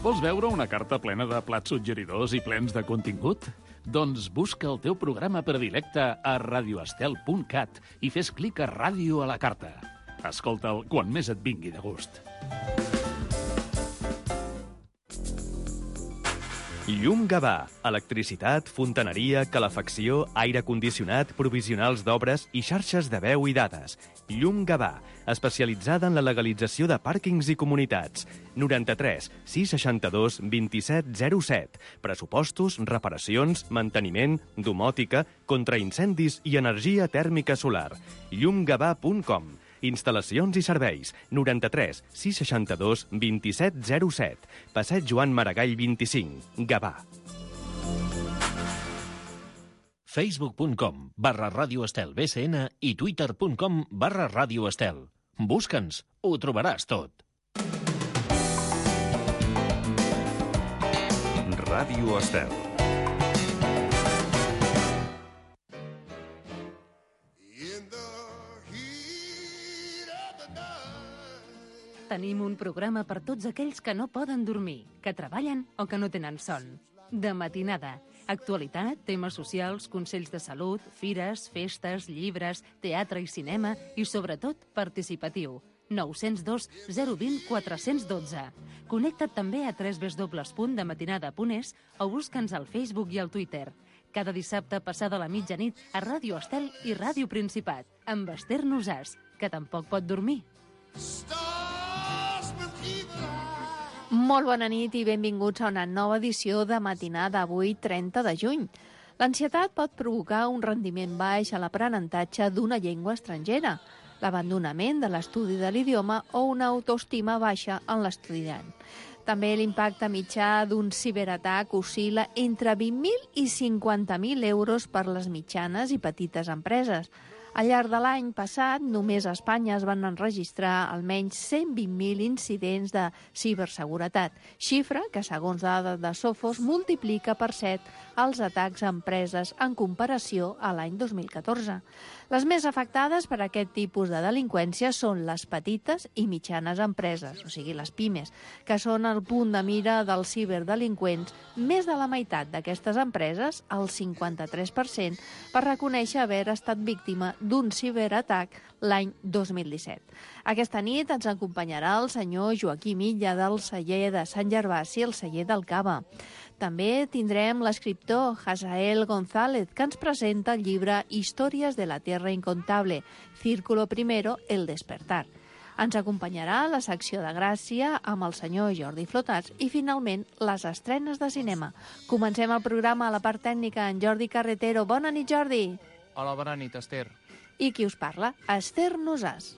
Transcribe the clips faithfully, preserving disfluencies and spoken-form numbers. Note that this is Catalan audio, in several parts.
Vols veure una carta plena de plats suggeridors i plens de contingut? Doncs busca el teu programa predilecte a radioestel punt cat i fes clic a Ràdio a la carta. Escolta'l quan més et vingui de gust. Llum Gavà. Electricitat, fontaneria, calefacció, aire condicionat, provisionals d'obres i xarxes de veu i dades. Llum Gavà, especialitzada en la legalització de pàrquings i comunitats. noranta-tres sis seixanta-dos vint-i-set zero set. Pressupostos, reparacions, manteniment, domòtica, contraincendis i energia tèrmica solar. llum gavà punt com. Instal·lacions i serveis. noranta-tres sis seixanta-dos vint-i-set zero set. Passeig Joan Maragall vint-i-cinc. Gavà. facebook punt com barra Ràdio Estel B C N i twitter punt com barra Ràdio Estel. Busca'ns, ho trobaràs tot. Ràdio Estel. Tenim un programa per tots aquells que no poden dormir, que treballen o que no tenen son. De matinada. Actualitat, temes socials, consells de salut, fires, festes, llibres, teatre i cinema i, sobretot, participatiu. nou zero dos zero dos zero quatre un dos. Connecta't també a w w w punt de matinada punt es o busca'ns al Facebook i al Twitter. Cada dissabte passada la mitjanit a Ràdio Estel i Ràdio Principat, amb Esther Nosàs, que tampoc pot dormir. Molt bona nit i benvinguts a una nova edició de Matinada, avui trenta de juny. L'ansietat pot provocar un rendiment baix a l'aprenentatge d'una llengua estrangera, l'abandonament de l'estudi de l'idioma o una autoestima baixa en l'estudiant. També l'impacte mitjà d'un ciberatac oscil·la entre vint mil i cinquanta mil euros per les mitjanes i petites empreses. Al llarg de l'any passat, només a Espanya es van enregistrar almenys cent vint mil incidents de ciberseguretat, xifra que, segons dades de Sophos, multiplica per set els atacs a empreses en comparació a l'any dos mil catorze. Les més afectades per aquest tipus de delinqüència són les petites i mitjanes empreses, o sigui, les pimes, que són el punt de mira dels ciberdelinqüents. Més de la meitat d'aquestes empreses, el cinquanta-tres per cent, va reconèixer haver estat víctima d'un ciberatac l'any dos mil disset. Aquesta nit ens acompanyarà el senyor Joaquim Illa del celler de Sant Gervasi, el celler del Cava. També tindrem l'escriptor Hazael González, que ens presenta el llibre Històries de la Tierra Incontable, Círculo Primero, El Despertar. Ens acompanyarà la secció de Gràcia amb el senyor Jordi Flotats i, finalment, les estrenes de cinema. Comencem el programa a la part tècnica en Jordi Carretero. Bona nit, Jordi. Hola, bona nit, Esther. I qui us parla? Esther Nosàs.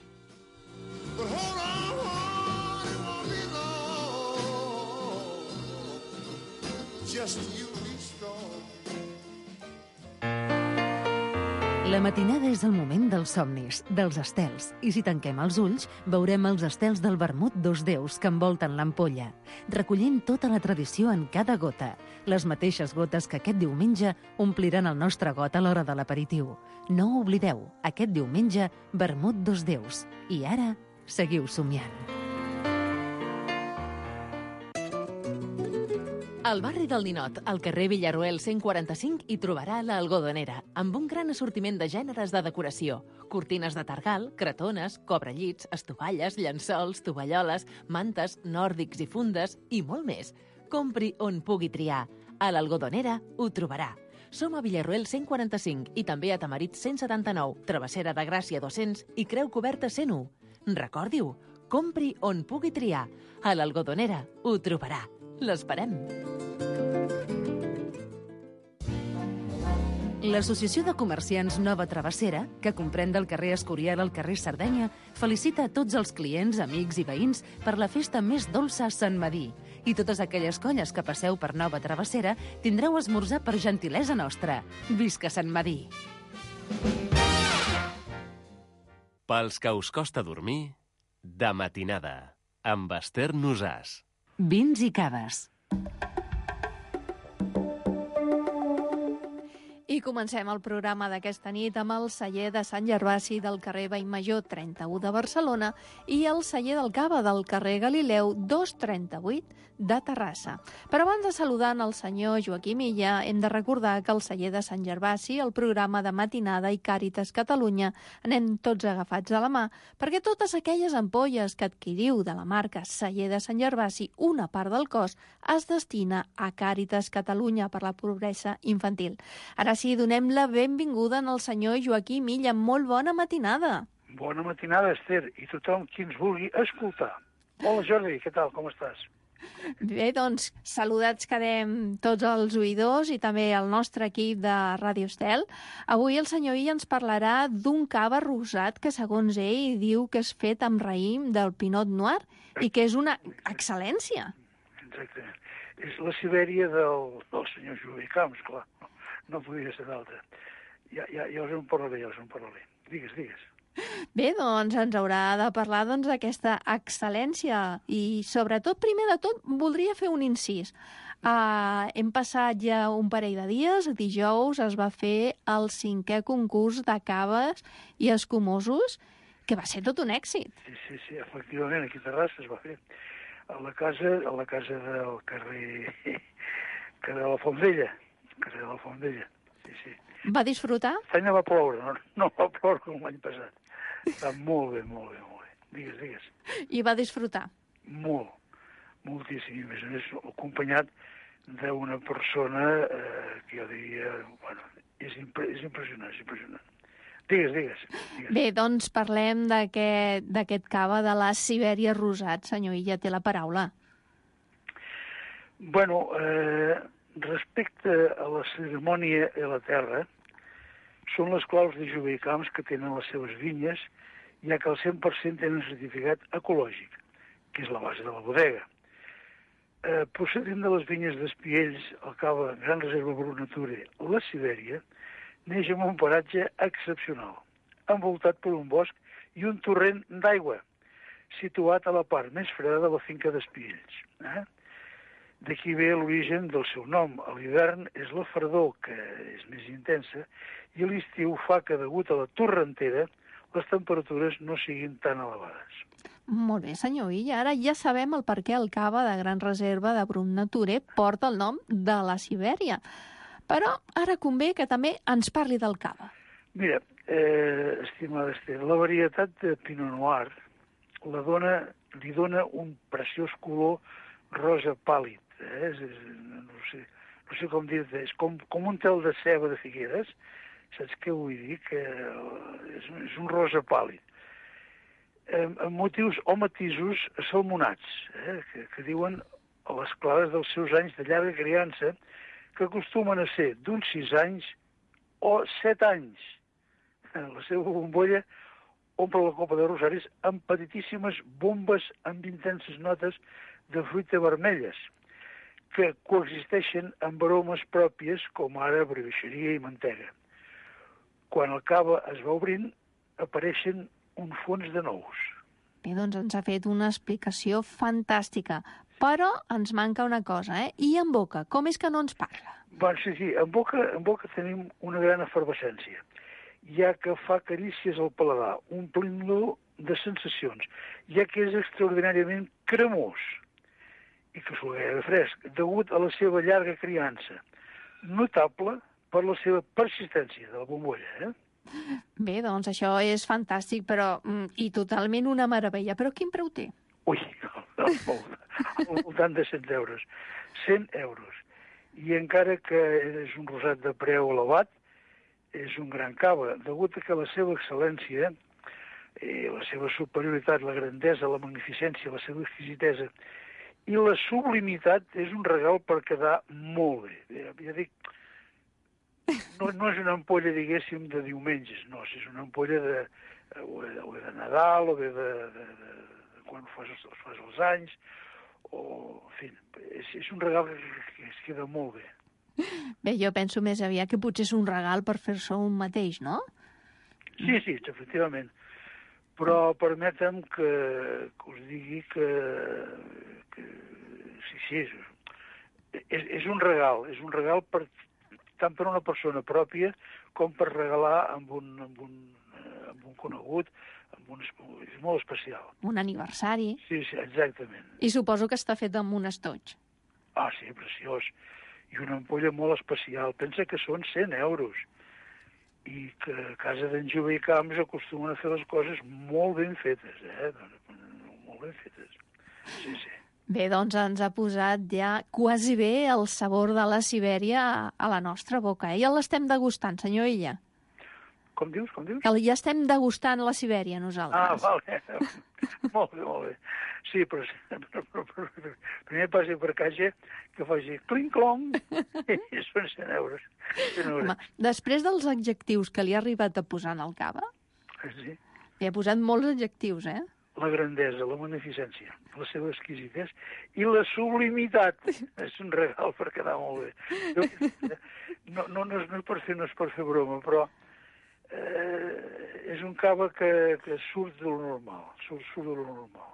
La matinada és el moment dels somnis, dels estels, i si tanquem els ulls, veurem els estels del vermut dos déus que envolten l'ampolla, recollint tota la tradició en cada gota, les mateixes gotes que aquest diumenge ompliran el nostre got a l'hora de l'aperitiu. No ho oblideu, aquest diumenge, vermut dos déus. I ara, seguiu somiant. Al barri del Ninot, al carrer Villarroel cent quaranta-cinc, hi trobarà l'Algodonera, amb un gran assortiment de gèneres de decoració. Cortines de targal, cretones, cobrellits, estovalles, llençols, tovalloles, mantes, nòrdics i fundes i molt més. Compri on pugui triar. A l'Algodonera ho trobarà. Som a Villarroel cent quaranta-cinc i també a Tamarit cent setanta-nou, Travessera de Gràcia dos-cents i Creu Coberta cent u. Recordi-ho, compri on pugui triar. A l'Algodonera ho trobarà. L'esperem. L'Associació de Comerciants Nova Travessera, que comprèn del carrer Escorial al carrer Sardenya, felicita a tots els clients, amics i veïns per la festa més dolça a Sant Medir. I totes aquelles colles que passeu per Nova Travessera tindreu esmorzar per gentilesa nostra. Visca Sant Medir! Pels que us costa dormir, de matinada, amb Esther Nosàs. Vins i caves. I comencem el programa d'aquesta nit amb el celler de Sant Gervasi del carrer Vallmajor trenta-u de Barcelona i el celler del Cava del carrer Galileu dos trenta-vuit de Terrassa. Però abans de saludar el senyor Joaquim Illa, hem de recordar que el celler de Sant Gervasi, el programa de matinada i Càritas Catalunya, anem tots agafats de la mà, perquè totes aquelles ampolles que adquiriu de la marca celler de Sant Gervasi, una part del cost es destina a Càritas Catalunya per la pobresa infantil. Ara sí, donem la benvinguda al senyor Joaquim Illa. Molt bona matinada. Bona matinada, Esther, i tothom qui ens vulgui escoltar. Hola, Jordi, què tal, com estàs? Bé, doncs, saludats quedem tots els oïdors i també el nostre equip de Ràdio Estel. Avui el senyor Illa ens parlarà d'un cava rosat que, segons ell, diu que és fet amb raïm del Pinot Noir i que és una excel·lència. Exacte. És la Sibèria del, del senyor Joaquim Camps, clar. No, no podia ser d'altra. Ja, ja, ja us en parlaré, ja us en parlaré. Digues, digues. Bé, doncs ens haurà de parlar doncs, d'aquesta excel·lència i, sobretot, primer de tot, voldria fer un incís. Uh, hem passat ja un parell de dies, dijous es va fer el cinquè concurs de caves i escumosos, que va ser tot un èxit. Sí, sí, sí, efectivament, aquí a Terrassa es va fer. A la casa, a la casa del carrer, carrer de la Fondella, carrer de la Fondella, sí, sí. Va disfrutar? L'any va ploure, no, no va ploure com l'any passat. Està molt bé, molt bé, molt bé. Digues, digues. I va disfrutar? Molt, moltíssim. A més a més, acompanyat d'una persona eh, que jo diria, bueno, és, impre és impressionant, és impressionant. Digues, digues. digues. Bé, doncs parlem d'aquest cava de la Sibèria rosat. Senyor Illa, té la paraula. Bueno, eh, respecte a la cerimònia i la terra, són les claus de Joaquim Camps que tenen les seves vinyes, ja que el cent per cent tenen certificat ecològic, que és la base de la bodega. Eh, procedint de les vinyes d'Espiells, el cava Gran Reserva Brut Nature, la Sibèria, neix en un paratge excepcional, envoltat per un bosc i un torrent d'aigua, situat a la part més freda de la finca d'Espiells. Eh? D'aquí ve l'origen del seu nom. A l'hivern és la fredor, que és més intensa, i a l'estiu fa que, degut a la torrentera, les temperatures no siguin tan elevades. Molt bé, senyor Illa. Ara ja sabem el per què el cava de Gran Reserva de Brut Nature porta el nom de la Sibèria. Però ara convé que també ens parli del cava. Mira, eh, estimada Esther, la varietat de Pinot Noir la dona, li dona un preciós color rosa pàl·lid. Eh? És, és, no, sé, no sé com dir-te, és com, com un tel de ceba de Figueres, saps què vull dir? Que és, és un rosa pàl·lid. Eh, amb motius o matisos salmonats, eh? que, que diuen a les clares dels seus anys de llarga criança, que acostumen a ser d'uns sis anys o set anys. La seva bombolla omple la copa de rosaris amb petitíssimes bombes amb intenses notes de fruita vermelles, que coexisteixen amb aromes pròpies com ara brioixeria i mantega. Quan el cava es va obrint, apareixen un fons de nous. Bé, doncs ens ha fet una explicació fantàstica, però ens manca una cosa, eh? I en boca, com és que no ens parla? Bueno, sí, sí, en boca, en boca tenim una gran efervescència, ja que fa carícies al paladar, omplint-lo de sensacions, ja que és extraordinàriament cremós i que s'ho gairebé fresc, degut a la seva llarga criança, notable per la seva persistència de la bombolla, eh? Bé, doncs això és fantàstic, però mm, i totalment una meravella. Però quin preu té? Ui, al voltant de cent euros. cent euros. I encara que és un rosat de preu elevat, és un gran cava, degut a que la seva excel·lència, eh, la seva superioritat, la grandesa, la magnificència, la seva exquisitesa i la sublimitat és un regal per quedar molt bé. Ja, ja dic, no, no és una ampolla, diguéssim, de diumenges, no, és una ampolla de, o de, o de Nadal, o de, de, de, de, de quan fas, fas els anys, o, en fi, és, és un regal que, que es queda molt bé. Bé, jo penso més aviat que potser és un regal per fer-se un mateix, no? Sí, sí, efectivament. Però permetem que, que us digui que, que sí, sí, és, és, és un regal, és un regal per, tant per una persona pròpia com per regalar amb un, amb un, amb un conegut, amb un, és molt especial. Un aniversari. Sí, sí, exactament. I suposo que està fet amb un estoig. Ah, sí, preciós. I una ampolla molt especial. Pensa que són cent euros. I que a casa d'en Jove i Camps acostumen a fer les coses molt ben fetes, eh? Molt ben fetes. Sí, sí. Bé, doncs ens ha posat ja quasi bé el sabor de la Sibèria a la nostra boca. Eh? Ja l'estem degustant, senyor Illa. Com dius, com dius? Que ja estem degustant la Sibèria, nosaltres. Ah, vale. Molt bé, molt bé. Sí, però, però, però, però primer passi per caixa que faci clinc-clong i són cent euros. Home, després dels adjectius que li ha arribat a posar en el cava, sí. li ha posat molts adjectius, eh? La grandesa, la magnificència, la seva exquisitesa i la sublimitat. És un regal per quedar molt bé. No, no, no, és, no, és per fer, no és per fer broma, però eh, és un cava que, que surt de lo normal, surt, surt de lo normal.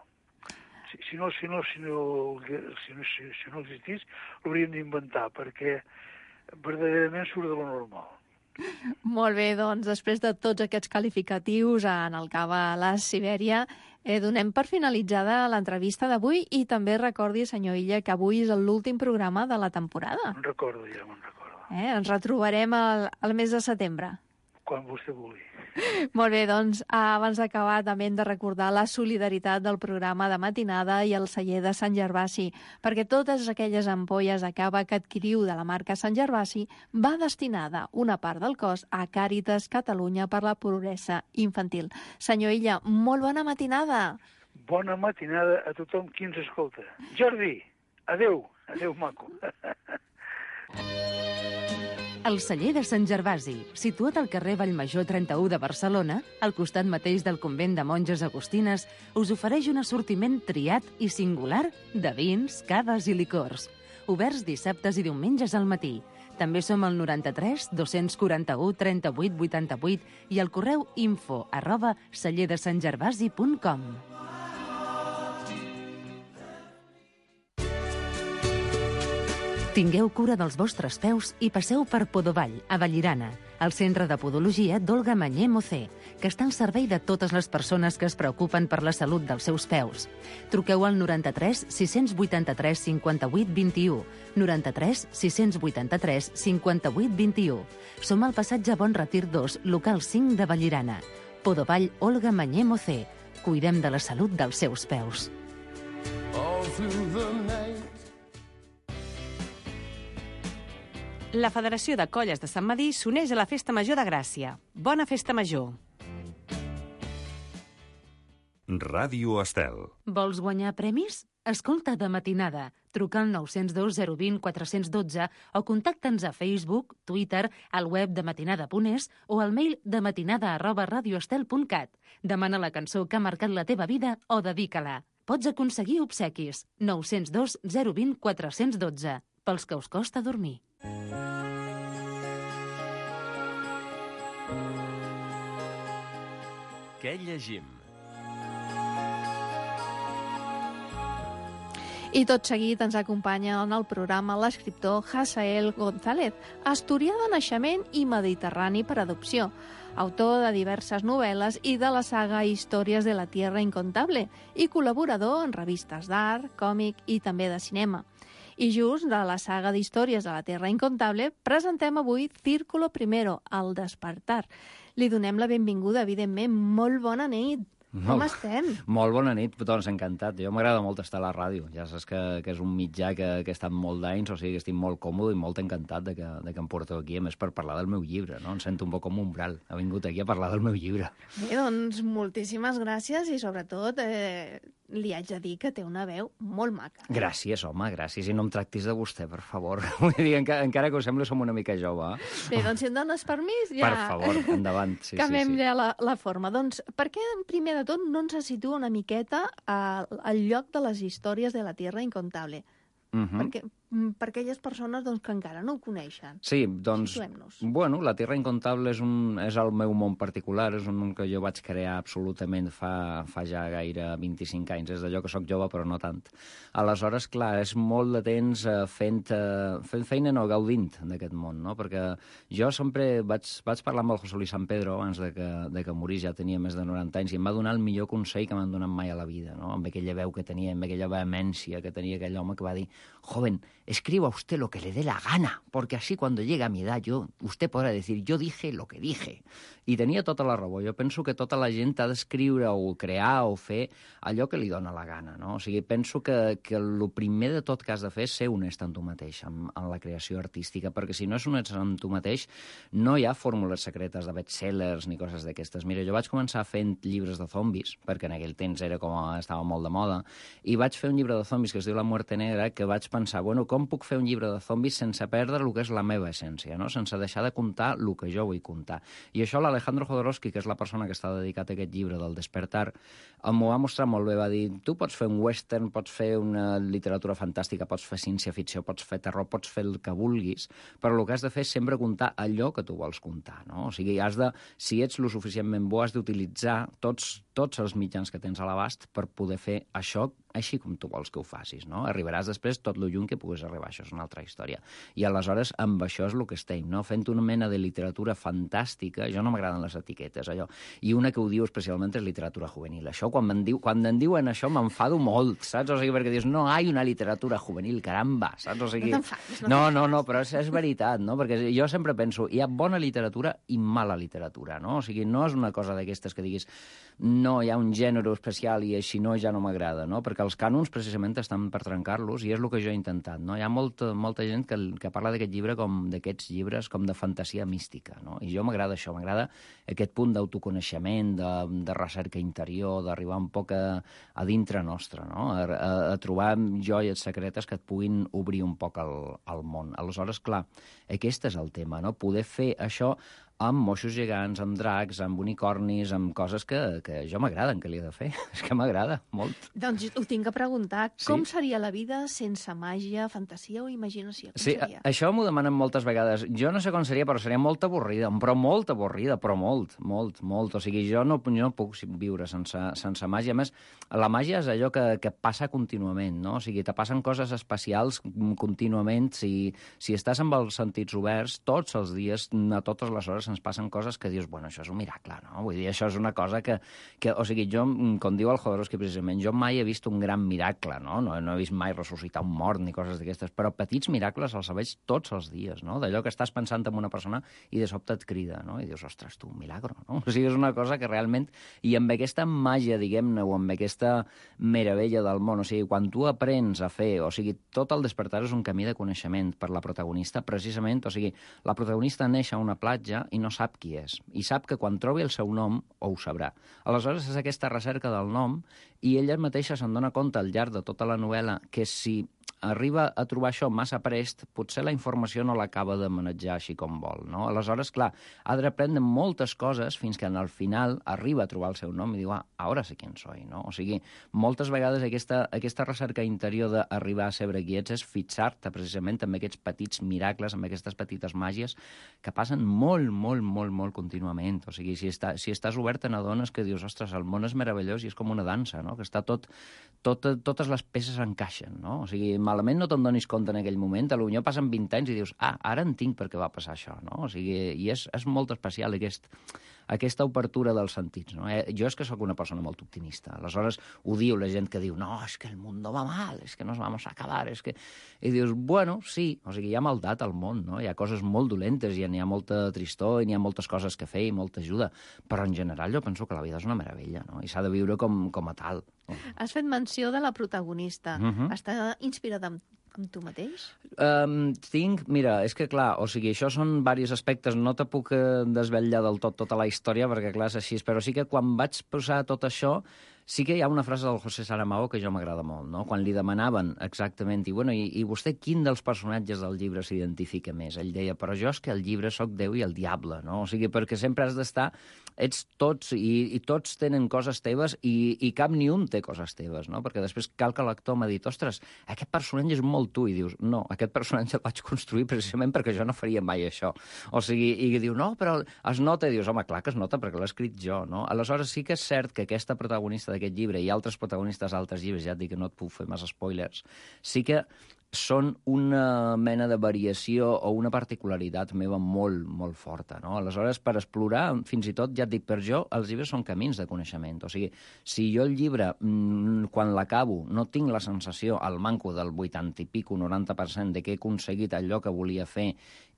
Si, si, no, si, no, si, no, si, no, si, si no existís, l'hauríem d'inventar, perquè verdaderament surt de lo normal. Molt bé, doncs, després de tots aquests qualificatius en el cava La Sibèria, eh, donem per finalitzada l'entrevista d'avui i també recordi, senyor Illa, que avui és l'últim programa de la temporada. Me'n recordo, ja me'n recordo. Eh, ens retrobarem al, al mes de setembre. Quan vostè vulgui. Molt bé, doncs, abans d'acabar també hem de recordar la solidaritat del programa de matinada i el celler de Sant Gervasi, perquè totes aquelles ampolles de cava que adquiriu de la marca Sant Gervasi va destinada una part del cost a Càritas Catalunya per la pobresa infantil. Senyor Illa, molt bona matinada. Bona matinada a tothom qui ens escolta. Jordi, adeu, adeu maco. El celler de Sant Gervasi, situat al carrer Vallmajor trenta-u de Barcelona, al costat mateix del convent de monges agustines, us ofereix un assortiment triat i singular de vins, caves i licors. Oberts dissabtes i diumenges al matí. També som al noranta-tres dos-cents quaranta-u trenta-vuit vuitanta-vuit i al correu info arroba celler de sant gervasi punt com. Tingueu cura dels vostres peus i passeu per Podovall, a Vallirana, el centre de podologia d'Olga Mañé Mocé, que està al servei de totes les persones que es preocupen per la salut dels seus peus. Truqueu al noranta-tres sis vuitanta-tres cinquanta-vuit vint-i-u, noranta-tres sis vuitanta-tres cinquanta-vuit vint-i-u. Som al passatge Bon Retir dos, local cinc de Vallirana. Podovall, Olga Mañé Mocé. Cuidem de la salut dels seus peus. La Federació de Colles de Sant Medir s'uneix a la Festa Major de Gràcia. Bona Festa Major! Ràdio Estel. Vols guanyar premis? Escolta de matinada. Truca al nou zero dos zero dos zero quatre un dos o contacta'ns a Facebook, Twitter, al web de matinada punt es o al mail de matinada arroba radioestel punt cat. Demana la cançó que ha marcat la teva vida o dedica-la. Pots aconseguir obsequis. nou zero dos zero dos zero quatre un dos pels que us costa dormir. Què llegim? I tot seguit ens acompanya en el programa l'escriptor Hasael González, asturià de naixement i mediterrani per adopció, autor de diverses novel·les i de la saga Històries de la Tierra Incontable i col·laborador en revistes d'art, còmic i també de cinema. I just de la saga d'Històries de la Tierra Incontable presentem avui Círculo Primero, El despertar. Li donem la benvinguda, evidentment. Molt bona nit. Com estem? Molt bona nit, doncs encantat. Jo m'agrada molt estar a la ràdio. Ja saps que, que és un mitjà que, que he estat molt d'anys, o sigui que estic molt còmode i molt encantat de que, de que em porteu aquí, a més per parlar del meu llibre, no? Em sento un poc com un umbral. Ha vingut aquí a parlar del meu llibre. Bé, doncs moltíssimes gràcies i sobretot eh, li haig de dir que té una veu molt maca. Gràcies, home, gràcies. I no em tractis de vostè, per favor. Vull dir, encara, encara que us sembli som una mica jove. Eh? Bé, doncs si em dones permís, ja... Per favor, endavant. Sí, canviem sí, sí. ja la, la forma. Doncs per què, primer de tot, no ens situa una miqueta al, al lloc de les històries de la Tierra Incontable? Uh-huh. Perquè, per aquelles persones doncs, que encara no ho coneixen. Sí, doncs, bueno, La Tierra Incontable és, un, és el meu món particular, és un món que jo vaig crear absolutament fa, fa ja gaire vint-i-cinc anys, és d'allò que sóc jove però no tant. Aleshores, clar, és molt de temps eh, fent, eh, fent feina no, gaudint d'aquest món, no? Perquè jo sempre vaig, vaig parlar amb el José Luis San Pedro abans de que, de que morís, ja tenia més de noranta anys, i em va donar el millor consell que m'han donat mai a la vida, no? Amb aquella veu que tenia, amb aquella vehemència que tenia aquell home que va dir: joven, escriba usted lo que le dé la gana, porque así cuando llegue a mi edad yo, usted podrá decir, yo dije lo que dije. I tenia tota la raó. Jo penso que tota la gent ha d'escriure o crear o fer allò que li dona la gana, no? O sigui, penso que, que el primer de tot que has de fer és ser honest amb tu mateix, amb, amb la creació artística, perquè si no és honest amb tu mateix, no hi ha fórmules secretes de bestsellers ni coses d'aquestes. Mira, jo vaig començar fent llibres de zombis, perquè en aquell temps era com estava molt de moda, i vaig fer un llibre de zombis que es diu La muerte negra, que vaig pensar, bueno, com puc fer un llibre de zombis sense perdre el que és la meva essència, no? Sense deixar de contar el que jo vull contar. I això l'Alejandro Jodorowsky, que és la persona que està dedicat a aquest llibre del Despertar, m'ho va mostrar molt bé. Va dir, tu pots fer un western, pots fer una literatura fantàstica, pots fer ciència-ficció, pots fer terror, pots fer el que vulguis, però el que has de fer és sempre contar allò que tu vols contar, no? O sigui, has de, si ets lo suficientment bo, has d'utilitzar tots, tots els mitjans que tens a l'abast per poder fer això així com tu vols que ho facis, no? Arribaràs després tot lo lluny que puguis arribar, això és una altra història. I aleshores, amb això és el que estem, no? Fent una mena de literatura fantàstica, jo no m'agraden les etiquetes, allò, i una que ho diu especialment és literatura juvenil. Això, quan em, diu, quan em diuen això, m'enfado molt, saps? O sigui, perquè dius, no hi ha una literatura juvenil, caramba, saps? O sigui, no t'enfadis. No, no, no, però és, és veritat, no? Perquè jo sempre penso, hi ha bona literatura i mala literatura, no? O sigui, no és una cosa d'aquestes que diguis, no, hi ha un gènere especial i així no, ja no m'agrada, no? Perquè els cànons precisament estan per trencar-los i és el que jo he intentat, no? Hi ha molta, molta gent que, que parla d'aquest llibre com d'aquests llibres com de fantasia mística, no? I jo m'agrada això, m'agrada aquest punt d'autoconeixement, de, de recerca interior, d'arribar un poc a, a dintre nostre, no? A, a, a trobar joies secretes que et puguin obrir un poc el, el món. Aleshores, clar, aquest és el tema, no? Poder fer això amb moixos gegants, amb dracs, amb unicornis, amb coses que, que jo m'agraden, que li he de fer. És que m'agrada molt. Doncs ho tinc que preguntar. Sí? Com seria la vida sense màgia, fantasia o imaginació? Com sí, seria? Això m'ho demanen moltes vegades. Jo no sé com seria, però seria molt avorrida, però molt avorrida, però molt, molt, molt. O sigui, jo no, jo no puc viure sense, sense màgia. A més, la màgia és allò que, que passa contínuament, no? O sigui, te passen coses especials contínuament. Si, si estàs amb els sentits oberts, tots els dies, a totes les hores, ens passen coses que dius, bueno, això és un miracle, no? Vull dir, això és una cosa que... que o sigui, jo, com diu el Jodorowsky precisament, jo mai he vist un gran miracle, no? No, no he vist mai ressuscitar un mort ni coses d'aquestes, però petits miracles els veig tots els dies, no? D'allò que estàs pensant en una persona i de sobte et crida, no? I dius, ostres, tu, un milagro, no? O sigui, és una cosa que realment... I amb aquesta màgia, diguem-ne, o amb aquesta meravella del món, o sigui, quan tu aprens a fer... O sigui, tot el Despertar és un camí de coneixement per la protagonista, precisament, o sigui, la protagonista neix a una platja i no sap qui és. I sap que quan trobi el seu nom, ho sabrà. Aleshores, és aquesta recerca del nom i ella mateixa se'n dona compte al llarg de tota la novel·la que si arriba a trobar això massa prest, potser la informació no l'acaba de manejar així com vol, no? Aleshores, clar, ha d'aprendre moltes coses fins que al final arriba a trobar el seu nom i diu, ah, ara sé quién soy, no? O sigui, moltes vegades aquesta, aquesta recerca interior d'arribar a saber qui ets és fixar-te precisament amb aquests petits miracles, amb aquestes petites màgies que passen molt, molt, molt, molt contínuament. O sigui, si, està, si estàs obert n'adones que dius, ostres, el món és meravellós i és com una dansa, no? Que està tot, tot, totes les peces encaixen, no? O sigui, malament no te'n donis compte en aquell moment, potser passen vint anys i dius, ah, ara entenc per què va passar això, no? O sigui, i és, és molt especial aquest, aquesta obertura dels sentits, no? Eh, jo és que sóc una persona molt optimista, aleshores ho diu la gent que diu, no, és que el món va mal, és que nos vamos a acabar, és que... I dius, bueno, sí, o sigui, hi ha maldat al món, no? Hi ha coses molt dolentes, i n'hi ha molta tristor, i n'hi ha moltes coses que fer i molta ajuda, però en general jo penso que la vida és una meravella, no? I s'ha de viure com, com a tal. Has fet menció de la protagonista. Uh-huh. Està inspirada en, en tu mateix? Um, tinc, mira, és que clar, o sigui, això són diversos aspectes, no te puc desvetllar del tot tota la història, perquè clar, és així, però sí que quan vaig posar tot això, Sí que hi ha una frase del José Saramago que jo m'agrada molt, no? Quan li demanaven exactament, i, bueno, i, i vostè quin dels personatges del llibre s'identifica més? Ell deia, però jo és que el llibre sóc Déu i el diable, no? O sigui, perquè sempre has d'estar, ets tots, i, i tots tenen coses teves, i, i cap ni un té coses teves, no? Perquè després cal que l'actor m'ha dit, ostres, aquest personatge és molt tu, i dius, no, aquest personatge el vaig construir precisament perquè jo no faria mai això. O sigui, i diu, no, però es nota, i dius, home, clar que es nota perquè l'he escrit jo, no? Aleshores sí que és cert que aquesta protagonista d'aquest llibre i altres protagonistes d'altres llibres, ja et dic que no et puc fer massa spoilers, sí que són una mena de variació o una particularitat meva molt, molt forta, no? Aleshores, per explorar, fins i tot, ja et dic, per jo, els llibres són camins de coneixement. O sigui, si jo el llibre, quan l'acabo, no tinc la sensació, al manco del vuitanta i pico, noranta per cent, de que he aconseguit allò que volia fer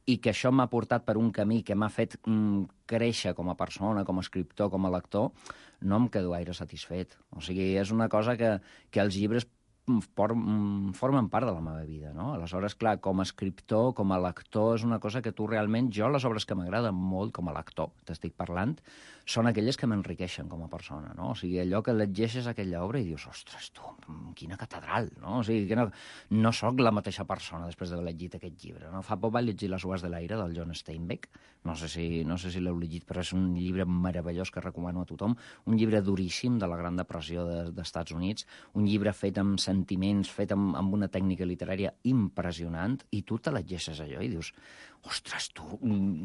i que això m'ha portat per un camí que m'ha fet mm, créixer com a persona, com a escriptor, com a lector, no em quedo gaire satisfet. O sigui, és una cosa que, que els llibres formen part de la meva vida, no? Aleshores, clar, com a escriptor, com a lector, és una cosa que tu realment... Jo, les obres que m'agraden molt com a lector, t'estic parlant, són aquelles que m'enriqueixen com a persona, no? O sigui, allò que llegeixes aquella obra i dius, ostres, tu, quina catedral, no? O sigui, que no, no sóc la mateixa persona després d'haver llegit aquest llibre, no? Fa poc vaig llegir Les Sues de l'aire, del John Steinbeck, no sé si, no sé si l'heu llegit, però és un llibre meravellós que recomano a tothom, un llibre duríssim de la Gran Depressió de, dels Estats Units, un llibre fet amb sentiments, fet amb, amb una tècnica literària impressionant, i tu te llegeixes allò i dius, ostres, tu,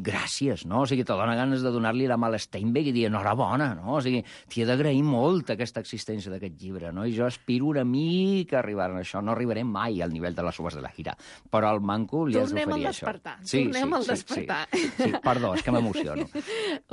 gràcies, no? O sigui, te dona ganes de donar-li la mà a Steinbeck i dir, enhorabona, no? O sigui, t'hi he d'agrair molt aquesta existència d'aquest llibre, no? I jo aspiro una mica a arribar a això. No arribaré mai al nivell de Les Sues de la gira, però al manco li has d'oferir això. Sí, Tornem al sí, despertar. Sí, sí, sí, perdó, és que m'emociono.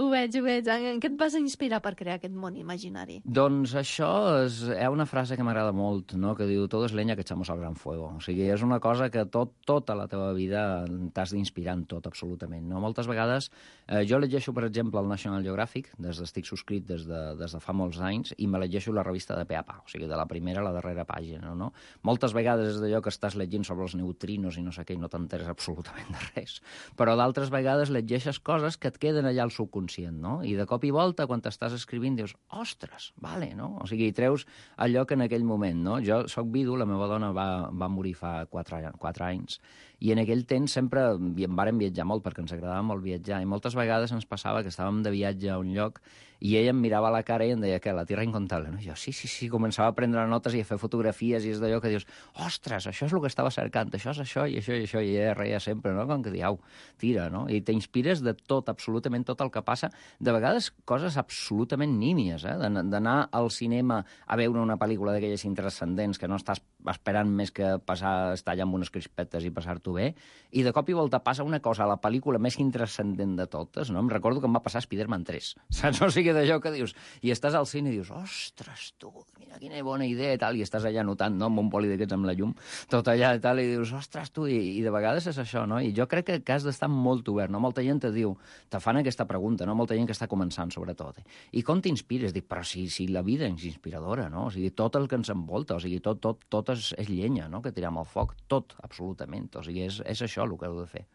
Ho veig, ho veig. En què et vas inspirar per crear aquest món imaginari? Doncs això és, hi ha una frase que m'agrada molt, no? Que diu, todo es leña que echamos al gran fuego. O sigui, és una cosa que tot, tota la teva vida t'has d'inspirar en tot, absolutament. No? Moltes vegades, eh, jo llegeixo, per exemple, el National Geographic, des d'estic subscrit des de, des de fa molts anys, i me llegeixo la revista de pe a pa, o sigui, de la primera a la darrera pàgina, no? Moltes vegades és d'allò que estàs llegint sobre els neutrinos i no sé què, i no t'enteres absolutament de res. Però d'altres vegades llegeixes coses que et queden allà al subconscient, no? I de cop i volta, quan t'estàs escrivint, dius, ostres, vale, no? O sigui, treus allò que en aquell moment, no? Jo soc vidu, la meva dona va, va morir fa quatre, quatre anys, i en aquell temps sempre em vàrem viatjar molt, perquè ens agradava molt viatjar, i moltes vegades ens passava que estàvem de viatge a un lloc i ella em mirava a la cara i em deia que la tierra incontable, no? I jo, sí, sí, sí, començava a prendre notes i a fer fotografies, i és d'allò que dius, ostres, això és el que estava cercant, això és això i això i això, i ella reia sempre, no? Com que diu, tira, no? I t'inspires de tot, absolutament tot el que passa, de vegades coses absolutament nímies, eh? D'anar al cinema a veure una pel·lícula d'aquelles intranscendents que no estàs esperant més que passar, estar allà amb unes crispetes i passar-t'ho bé, i de cop i volta passa una cosa a la pel·lícula més intranscendent de totes, no? Em recordo que em va passar Spider-Man tres, saps? O sigui, d'allò que dius, i estàs al cine i dius, ostres, tu, mira quina bona idea i tal, i estàs allà notant, no?, amb un poli d'aquests amb la llum, tot allà i tal, i dius, ostres, tu, i, i de vegades és això, no? I jo crec que, que has d'estar molt obert, no? Molta gent te diu, te fan aquesta pregunta, no? Molta gent que està començant, sobretot. Eh? I com t'inspires? Dic, però si, si la vida és inspiradora, no? O sigui, tot el que ens envolta, o sigui, tot, tot, tot és, és llenya, no?, que tiram al foc, tot, absolutament. O sigui, és, és això el que heu de fer.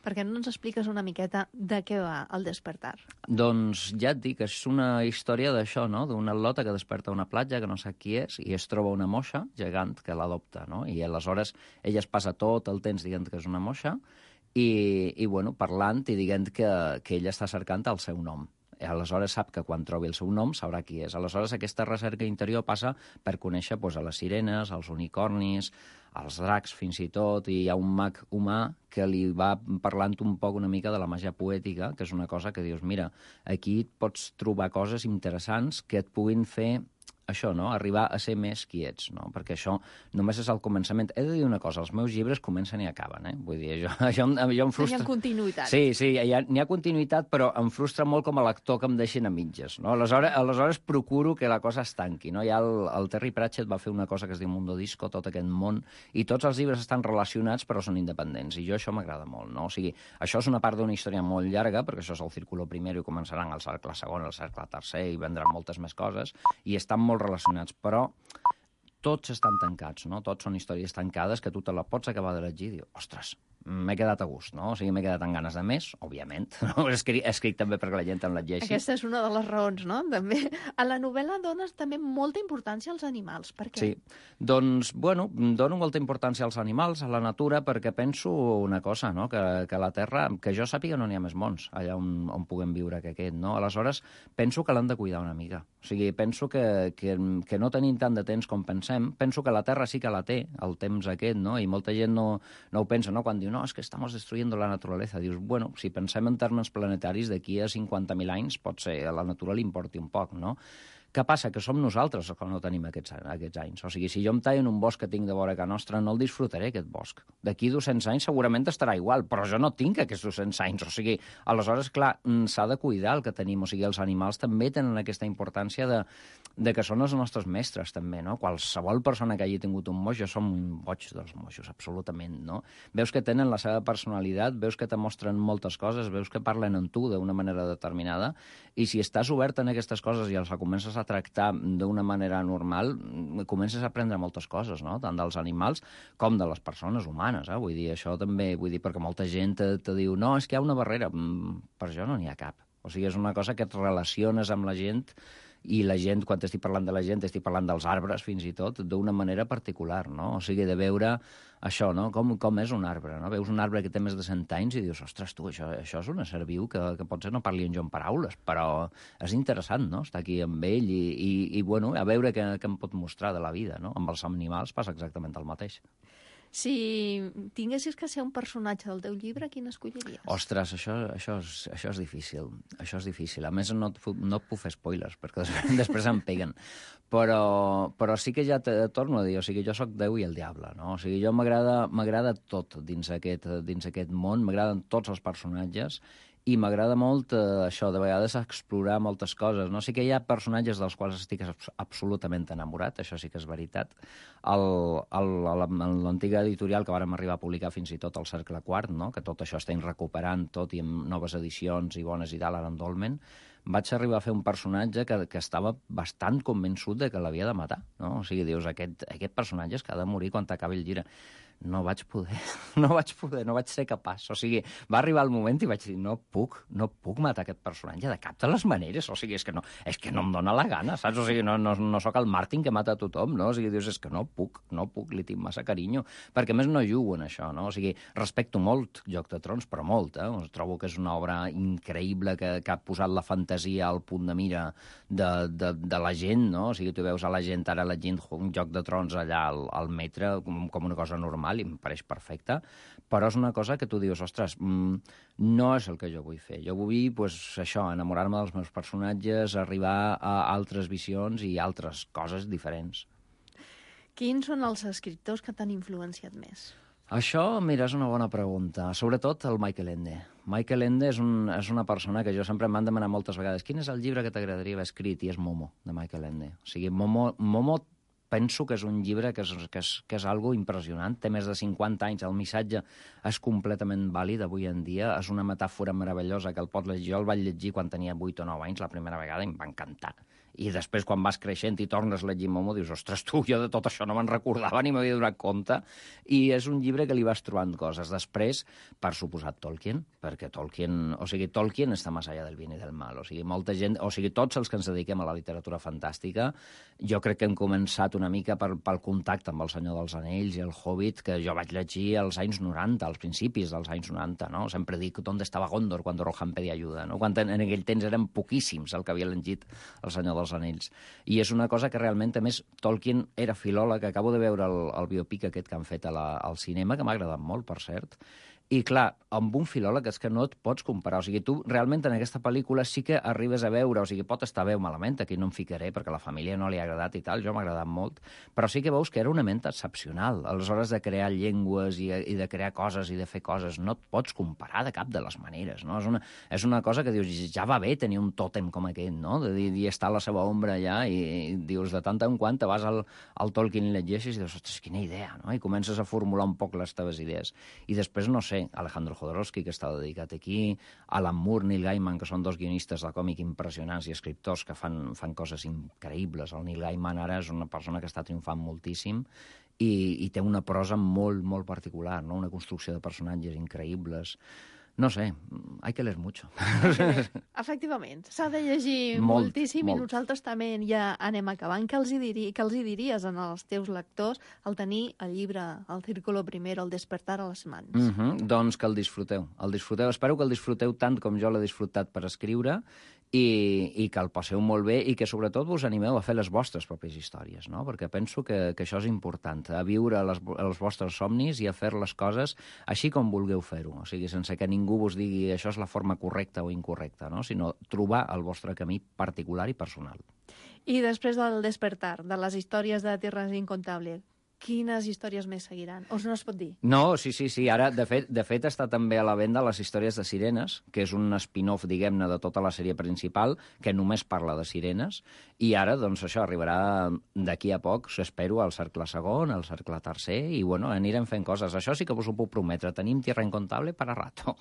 Per què no ens expliques una miqueta de què va el despertar? Doncs ja et dic, és una història d'això, no?, d'una al·lota que desperta a una platja, que no sap qui és, i es troba una moixa gegant que l'adopta, no? I aleshores ella es passa tot el temps dient que és una moixa i, i bueno, parlant i dient que, que ella està cercant el seu nom. I aleshores sap que quan trobi el seu nom sabrà qui és. Aleshores aquesta recerca interior passa per conèixer doncs, a les sirenes, als unicornis, als dracs fins i tot, i hi ha un mag humà que li va parlant un poc una mica de la màgia poètica, que és una cosa que dius, mira, aquí pots trobar coses interessants que et puguin fer això, no?, arribar a ser més qui ets, no? Perquè això només és el començament. He de dir una cosa, els meus llibres comencen i acaben, eh? Vull dir, això, això, això em frustra... Hi ha continuïtat. Sí, sí, hi ha, n'hi ha continuïtat, però em frustra molt com a lector que em deixin a mitges, no? Aleshores, aleshores procuro que la cosa es tanqui, no? Ja el, el Terry Pratchett va fer una cosa que es diu Mundo Disco, tot aquest món, i tots els llibres estan relacionats però són independents, i jo això m'agrada molt, no? O sigui, això és una part d'una història molt llarga, perquè això és el Círculo Primero i començaran el cercle segon, el cercle tercer, i vendran moltes més coses, i estan molt relacionats, però tots estan tancats, no? Tots són històries tancades que tu te la pots acabar de llegir i dius, ostres, m'he quedat a gust, no? O sigui, m'he quedat amb ganes de més, òbviament. No? Escric, escric també perquè la gent em llegeixi. Aquesta és una de les raons, no? També. A la novel·la dones també molta importància als animals. Per què? Sí, doncs, bueno, dono molta importància als animals, a la natura, perquè penso una cosa, no? Que, que a la Terra, que jo sàpiga, no n'hi ha més mons allà on, on puguem viure que aquest, no? Aleshores, penso que l'han de cuidar una mica. O sigui, penso que, que, que no tenim tant de temps com pensem. Penso que la Terra sí que la té, el temps aquest, no? I molta gent no, no ho pensa, no? Quan diu, no, és que estamos destruyendo la naturaleza. Dius, bueno, si pensem en termes planetaris, d'aquí a cinquanta mil anys, pot ser, a la natura li importi un poc, no? Què passa? Que som nosaltres els que no tenim aquests, aquests anys. O sigui, si jo em tallo en un bosc que tinc de vora a casa nostra, no el disfrutaré, aquest bosc. D'aquí dos-cents anys segurament estarà igual, però jo no tinc aquests dos-cents anys. O sigui, aleshores, clar, s'ha de cuidar el que tenim. O sigui, els animals també tenen aquesta importància de, de que són els nostres mestres, també, no? Qualsevol persona que hagi tingut un moix, jo som un boig dels moixos, absolutament, no? Veus que tenen la seva personalitat, veus que te mostren moltes coses, veus que parlen amb tu d'una manera determinada, i si estàs obert en aquestes coses i els comences a tractar d'una manera normal, comences a aprendre moltes coses, no? Tant dels animals com de les persones humanes, eh? Vull dir, això també, vull dir, perquè molta gent te, te diu, no, és que hi ha una barrera. Mm, per jo no n'hi ha cap. O sigui, és una cosa que et relaciones amb la gent, i la gent, quan estic parlant de la gent, estic parlant dels arbres, fins i tot, d'una manera particular, no? O sigui, de veure això, no? Com, com és un arbre, no? Veus un arbre que té més de cent anys i dius, ostres, tu, això, això és un ésser viu que, que potser no parli en jo en paraules, però és interessant, no?, estar aquí amb ell i, i, i bueno, a veure què, què em pot mostrar de la vida, no? Amb els animals passa exactament el mateix. Si tinguessis que ser un personatge del teu llibre, quin escolliries? Ostres, això, això, és, això és difícil. Això és difícil. A més, no et, no et puc fer spoilers, perquè després, després em peguen. Però, però sí que ja te torno a dir, o sigui, jo sóc Déu i el diable, no? O sigui, jo m'agrada tot dins aquest, dins aquest món, m'agraden tots els personatges, i m'agrada molt eh, això, de vegades explorar moltes coses, no? Sí que hi ha personatges dels quals estic absolutament enamorat, això sí que és veritat. L'antiga editorial que vàrem arribar a publicar fins i tot el Cercle Quart, no? Que tot això estem recuperant tot i amb noves edicions i bones i tal, ara en dolmen, vaig arribar a fer un personatge que, que estava bastant convençut de que l'havia de matar, no? O sigui, dius, aquest, aquest personatge és que ha de morir quan t'acabi el llibre. No vaig poder, no vaig poder, no vaig ser capaç. O sigui, va arribar el moment i vaig dir, no puc, no puc matar aquest personatge de cap de les maneres. O sigui, és que no, és que no em dóna la gana, saps? O sigui, no, no, no sóc el Martin que mata a tothom, no? O sigui, dius, és que no puc, no puc, li tinc massa carinyo. Perquè, a més, no jugo en això, no? O sigui, respecto molt Joc de Trons, però molt, eh? Trobo que és una obra increïble que, que ha posat la fantasia al punt de mira de, de, de la gent, no? O sigui, tu veus a la gent ara llegint un Joc de Trons allà al, al metre com, com una cosa normal, i em pareix perfecte, però és una cosa que tu dius, ostres, mmm, no és el que jo vull fer. Jo vull, pues, això, enamorar-me dels meus personatges, arribar a altres visions i altres coses diferents. Quins són els escriptors que t'han influenciat més? Això, mira, és una bona pregunta. Sobretot el Michael Ende. Michael Ende és, un, és una persona que jo sempre m'han demanat moltes vegades quin és el llibre que t'agradaria haver escrit, i és Momo, de Michael Ende. O sigui, Momo, Momo penso que és un llibre que és, que és, que és algo impressionant. Té més de cinquanta anys, el missatge és completament vàlid avui en dia, és una metàfora meravellosa que el pot llegir. Jo el vaig llegir quan tenia vuit o nou anys la primera vegada i em va encantar. I després, quan vas creixent i tornes a llegir Momo, dius, ostres, tu, jo de tot això no me'n recordava ni m'havia donat compte. I és un llibre que li vas trobant coses. Després, per suposat, Tolkien, perquè Tolkien, o sigui, Tolkien està més allà del bien i del mal. O sigui, molta gent, o sigui, tots els que ens dediquem a la literatura fantàstica, jo crec que hem començat una mica per, pel contacte amb El Senyor dels Anells i El Hobbit, que jo vaig llegir als anys noranta, als principis dels anys noranta, no? Sempre dic on estava Gondor quan Rohan pedia ajuda, no? Quan en, en aquell temps eren poquíssims el que havia llegit El Senyor dels Anells. I és una cosa que realment, a més, Tolkien era filòleg. Acabo de veure el, el biopic aquest que han fet a la, al cinema, que m'ha agradat molt, per cert. I, clar, amb un filòleg és que no et pots comparar. O sigui, tu realment en aquesta pel·lícula sí que arribes a veure, o sigui, pot estar bé o malament, aquí no em ficaré perquè a la família no li ha agradat i tal, jo m'ha agradat molt, però sí que veus que era una ment excepcional. Aleshores, de crear llengües i, i de crear coses i de fer coses, no et pots comparar de cap de les maneres, no? És una, és una cosa que dius, ja va bé tenir un tòtem com aquest, no? De dir, dir estar a la seva ombra allà i, i dius, de tant en quant te vas al, al Tolkien i llegeixes i dius, ostres, quina idea, no? I comences a formular un poc les teves idees. I després, no sé, Alejandro Jodorowsky, que està dedicat aquí, Alan Moore, Neil Gaiman, que són dos guionistes de còmic impressionants i escriptors que fan, fan coses increïbles. El Neil Gaiman ara és una persona que està triomfant moltíssim i, i té una prosa molt, molt particular, no? Una construcció de personatges increïbles. No sé, hay que leer mucho. Efectivament, s'ha de llegir Molt, moltíssim molt. i nosaltres també ja anem acabant. Què els, hi diri, què els hi diries als teus lectors al tenir el llibre, el Círculo Primero, el Despertar a les mans? Mm -hmm. Doncs que el disfruteu. El disfruteu. Espero que el disfruteu tant com jo l'he disfrutat per escriure i, i que el passeu molt bé i que sobretot vos animeu a fer les vostres pròpies històries, no? Perquè penso que, que això és important, a viure les, els vostres somnis i a fer les coses així com vulgueu fer-ho, o sigui, sense que ningú vos digui això és la forma correcta o incorrecta, no? Sinó trobar el vostre camí particular i personal. I després del Despertar, de les històries de Tierras Incontables, quines històries més seguiran? O no es pot dir? No, sí, sí, sí. Ara, de fet, de fet està també a la venda les històries de sirenes, que és un spin-off, diguem-ne, de tota la sèrie principal, que només parla de sirenes, i ara, doncs, això arribarà d'aquí a poc, espero, al cercle segon, al cercle tercer, i, bueno, anirem fent coses. Això sí que vos ho puc prometre. Tenim Tierra Incontable per a rato.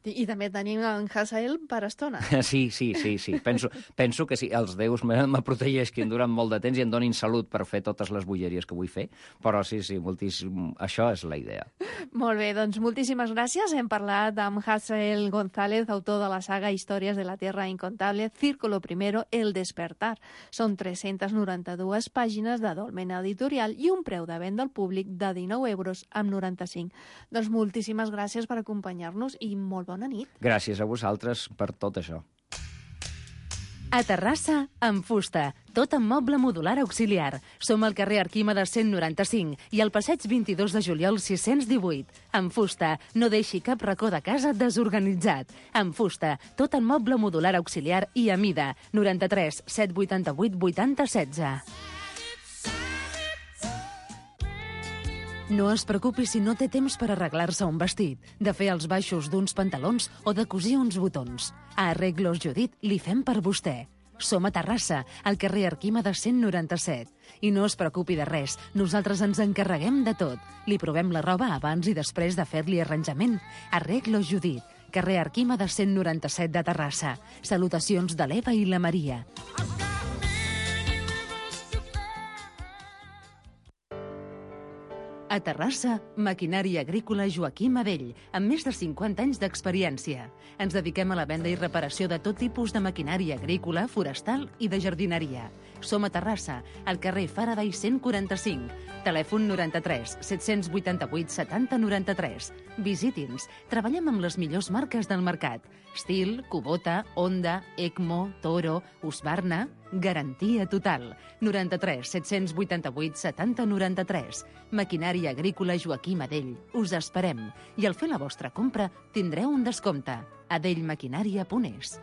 I, i també tenim en Hazael per estona. Sí, sí, sí, sí. Penso, penso que sí, els déus me, me protegeixin durant molt de temps i em donin salut per fer totes les bogeries que vull fer, però sí, sí, moltíssim, això és la idea. Molt bé, doncs moltíssimes gràcies. Hem parlat amb Hazael González, autor de la saga Històries de la Tierra Incontable, Círculo Primero, El Despertar. Són tres-centes noranta-dues pàgines de Dolmen Editorial i un preu de venda al públic de dinou euros amb noranta-cinc. Doncs moltíssimes gràcies per acompanyar-nos i molt bona nit. Gràcies a vosaltres per tot això. A Terrassa, amb fusta, tot en moble modular auxiliar. Som al carrer Arquímedes cent noranta-cinc i al passeig vint-i-dos de juliol sis-cents divuit. Amb fusta, no deixi cap racó de casa desorganitzat. Amb fusta, tot en moble modular auxiliar i a mida. noranta-tres set vuitanta-vuit vuitanta setze. No es preocupi si no té temps per arreglar-se un vestit, de fer els baixos d'uns pantalons o de cosir uns botons. A Arreglos Judit li fem per vostè. Som a Terrassa, al carrer Arquímedes cent noranta-set. I no es preocupi de res, nosaltres ens encarreguem de tot. Li provem la roba abans i després de fer-li arranjament. Arreglos Judit, carrer Arquímedes cent noranta-set de Terrassa. Salutacions de l'Eva i la Maria. A Terrassa, maquinària agrícola Joaquim Adell, amb més de cinquanta anys d'experiència. Ens dediquem a la venda i reparació de tot tipus de maquinària agrícola, forestal i de jardineria. Som a Terrassa, al carrer Faraday cent quaranta-cinc. Telèfon noranta-tres set vuitanta-vuit setanta noranta-tres. Visiti'ns. Treballem amb les millors marques del mercat. Stihl, Kubota, Honda, Ecmo, Toro, Husqvarna. Garantia total. noranta-tres set vuitanta-vuit setanta noranta-tres. Maquinària agrícola Joaquim Adell. Us esperem. I al fer la vostra compra tindreu un descompte. adellmaquinària punt es.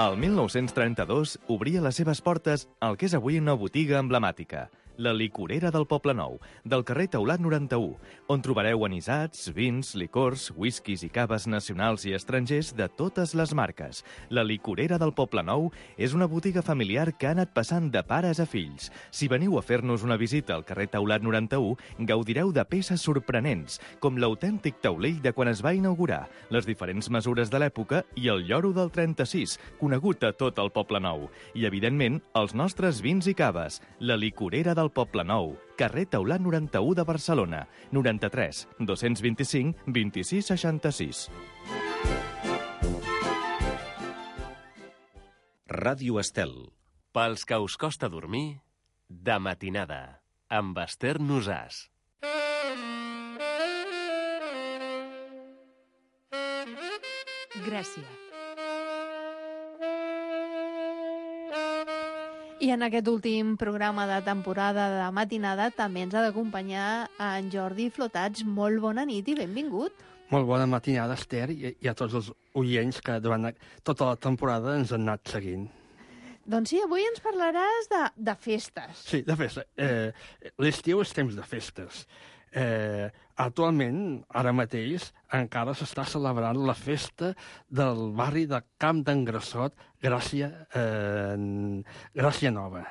El mil nou-cents trenta-dos obria les seves portes al que és avui una botiga emblemàtica, la licorera del Poble Nou, del carrer Taulat noranta-u, on trobareu anisats, vins, licors, whiskies i caves nacionals i estrangers de totes les marques. La licorera del Poble Nou és una botiga familiar que ha anat passant de pares a fills. Si veniu a fer-nos una visita al carrer Taulat noranta-u, gaudireu de peces sorprenents, com l'autèntic taulell de quan es va inaugurar, les diferents mesures de l'època i el lloro del trenta-sis, conegut a tot el Poble Nou. I, evidentment, els nostres vins i caves. La licorera del Poble Nou, carrer Taulat noranta-u de Barcelona, noranta-tres dos-cents vint-i-cinc vint-i-sis seixanta-sis. Ràdio Estel. Pels que us costa dormir, de matinada, amb Esther Nosàs. Gràcia. I en aquest últim programa de temporada de matinada també ens ha d'acompanyar en Jordi Flotats. Molt bona nit i benvingut. Molt bona matinada, Esther, i, i a tots els oients que durant tota la temporada ens han anat seguint. Doncs sí, avui ens parlaràs de, de festes. Sí, de festes. Eh, L'estiu és temps de festes. Eh, actualment, ara mateix, encara s'està celebrant la festa del barri de Camp d'en Grassot, Gràcia, eh, Gràcia Nova.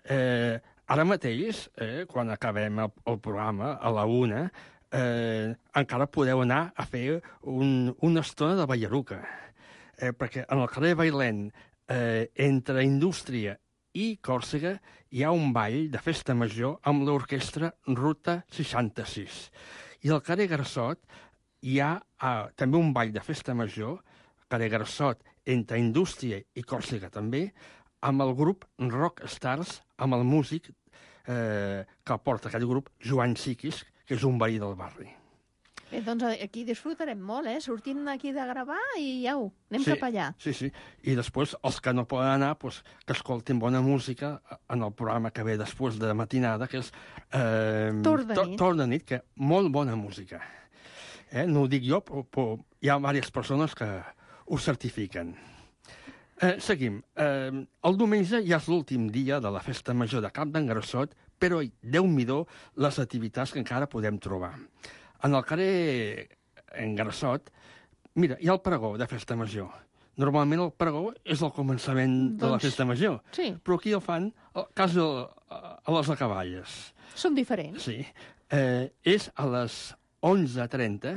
Eh, ara mateix, eh, quan acabem el, el programa, a la una, eh, encara podeu anar a fer un, una estona de ballaruca. Eh, perquè en el carrer Bailén eh, entre Indústria i Còrsega hi ha un ball de festa major amb l'orquestra Ruta seixanta-sis. I al carrer Grassot hi ha eh, també un ball de festa major, carrer Grassot, entre Indústria i Còrsega també, amb el grup Rock Stars, amb el músic eh, que porta aquest grup, Joan Siquis, que és un veí del barri. Bé, doncs aquí disfrutarem molt, eh? Sortim d'aquí de gravar i au, anem sí, cap allà. Sí, sí. I després, els que no poden anar, pues, que escoltin bona música en el programa que ve després de matinada, que és eh, Torn de nit. Torn de nit, que molt bona música. Eh? No ho dic jo, però, però hi ha diverses persones que ho certifiquen. Eh, seguim. Eh, el diumenge ja és l'últim dia de la festa major de Camp d'en Grassot, però Déu-n'hi-do les activitats que encara podem trobar. En el carrer en Grassot, mira, hi ha el pregó de festa major. Normalment el pregó és el començament doncs, de la festa major, sí. Però aquí el fan quasi a les acaballes. Són diferents. Sí. Eh, és a les onze trenta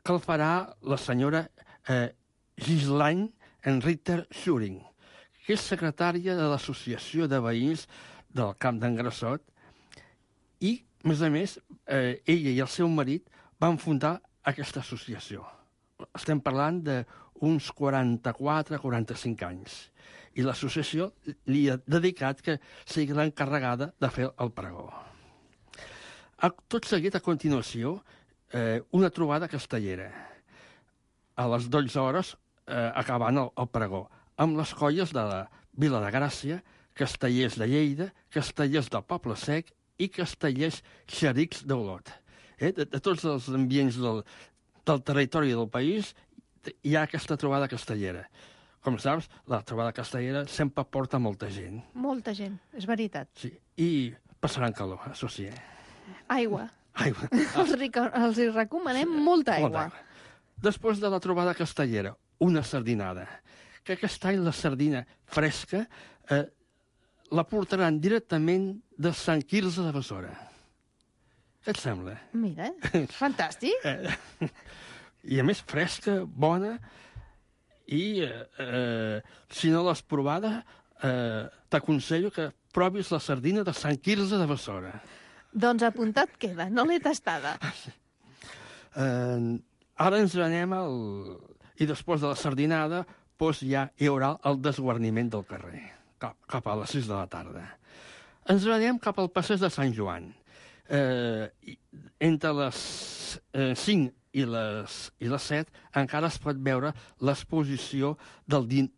que el farà la senyora eh, Gislaine Enritter Schuring, que és secretària de l'Associació de Veïns del Camp d'en Grassot, i, a més a més, eh, ella i el seu marit van fundar aquesta associació. Estem parlant d'uns quaranta-quatre quaranta-cinc anys. I l'associació li ha dedicat que sigui l'encarregada de fer el pregó. A, tot seguit, a continuació, eh, una trobada castellera. A les dotze hores, eh, acabant el, el pregó, amb les colles de la Vila de Gràcia, Castellers de Lleida, Castellers del Poble Sec i Castellers Xerics d'Olot. Eh? De, de tots els ambients del, del territori del país hi ha aquesta trobada castellera. Com saps, la trobada castellera sempre porta molta gent. Molta gent, és veritat. Sí, i passaran calor, això sí. Eh? Aigua. Aigua. Els, els hi recomanem sí, molta aigua. Molta aigua. Després de la trobada castellera, una sardinada. Que aquest any la sardina fresca eh, la portaran directament de Sant Quirze de Besora. Què et sembla? Mira, fantàstic. Eh, I a més fresca, bona, i eh, eh, si no l'has provada, eh, t'aconsello que provis la sardina de Sant Quirze de Besora. Doncs apuntat queda, no l'he tastada. Eh, ara ens anem al... I després de la sardinada, doncs ja hi haurà el desguarniment del carrer, cap, cap a les sis de la tarda. Ens anem cap al passeig de Sant Joan. Eh, entre les eh, cinc i les, i les set encara es pot veure l'exposició del din,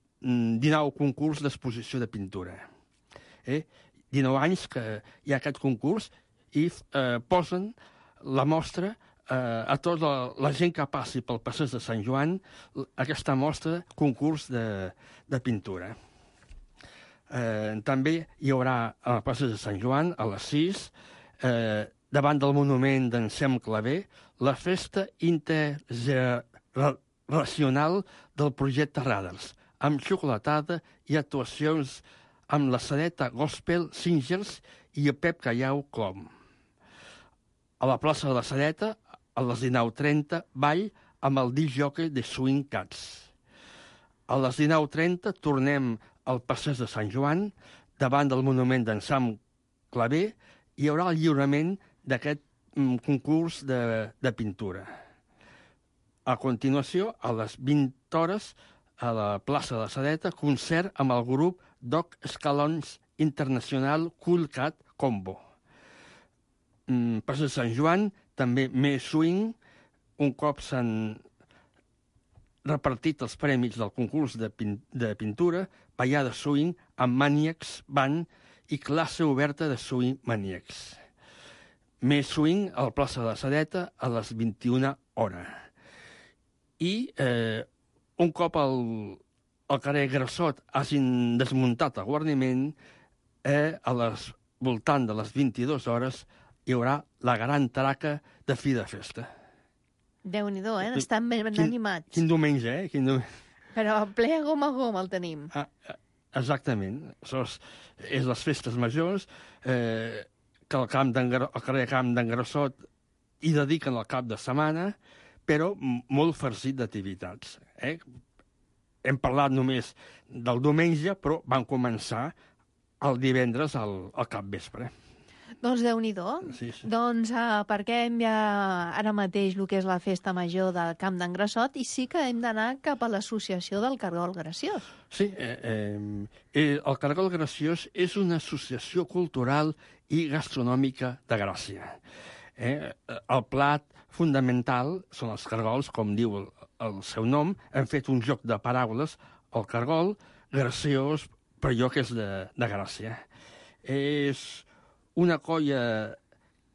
dinou concurs d'exposició de pintura. Eh? dinou anys que hi ha aquest concurs i eh, posen la mostra eh, a tota la, la gent que passi pel passeig de Sant Joan, aquesta mostra, concurs de, de pintura. Eh, també hi haurà al passeig de Sant Joan, a les sis, eh, davant del monument d'en Sem Clavé, la festa intergeneracional del projecte Radars, amb xocolatada i actuacions amb la Sadeta Gospel Singers i el Pep Callau Clom. A la plaça de la Sadeta, a les dinou trenta, ball amb el disc jockey de Swing Cats. A les dinou trenta tornem al passeig de Sant Joan, davant del monument d'en Sam Clavé, hi haurà el lliurament d'aquest mm, concurs de, de pintura. A continuació, a les vint hores, a la plaça de la Sadeta, concert amb el grup Doc Escalons Internacional Cool Cat Combo. Mm, passeig de Sant Joan, també més swing, un cop s'han repartit els premis del concurs de, pin de pintura, ballada swing amb Maniacs Band i classe oberta de swing Maniacs. Més swing a la plaça de la Sadeta a les vint-i-una hores. I eh, un cop al, al carrer Grassot hagin desmuntat el guarniment, eh, a les voltant de les vint-i-dues hores hi haurà la gran traca de fi de festa. Déu-n'hi-do, eh? Estan ben quin, animats. Quin diumenge, eh? Quin diumenge. Però ple a gom a gom el tenim. Ah, exactament. Això és, és les festes majors, eh, que al, camp al carrer Camp d'en Grassot hi dediquen el cap de setmana, però molt farcit d'activitats. Eh? hem parlat només del diumenge, però van començar el divendres al, al capvespre. Doncs Déu-n'hi-do. Sí, sí. Doncs uh, parquem ja ara mateix el que és la festa major del Camp d'en Grassot i sí que hem d'anar cap a l'associació del Cargol Graciós. Sí, eh, eh, el Cargol Graciós és una associació cultural i gastronòmica de Gràcia. Eh, el plat fundamental són els cargols, com diu el, el seu nom. Hem fet un joc de paraules, el cargol graciós, per allò que és de, de Gràcia. És una colla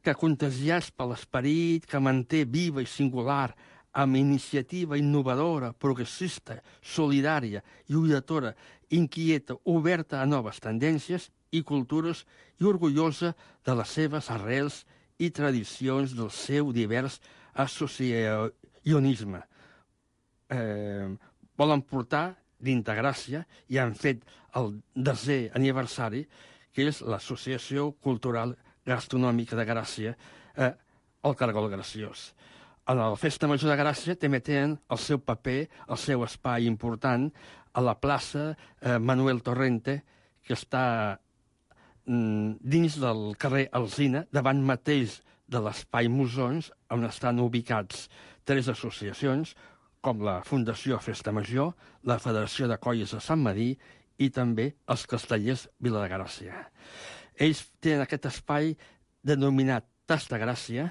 que contagiats per l'esperit, que manté viva i singular, amb iniciativa innovadora, progressista, solidària, lluitadora, inquieta, oberta a noves tendències i cultures i orgullosa de les seves arrels i tradicions del seu divers associacionisme. Eh, volen portar d'Integràcia i han fet el desè aniversari, que és l'Associació Cultural Gastronòmica de Gràcia, eh, el Cargol Graciós. A la Festa Major de Gràcia també tenen el seu paper, el seu espai important, a la plaça eh, Manuel Torrente, que està mm, dins del carrer Alsina, davant mateix de l'espai Musons, on estan ubicats tres associacions, com la Fundació Festa Major, la Federació de Colles de Sant Medir i també els Castellers Vila de Gràcia. Ells tenen aquest espai denominat Tas de Gràcia,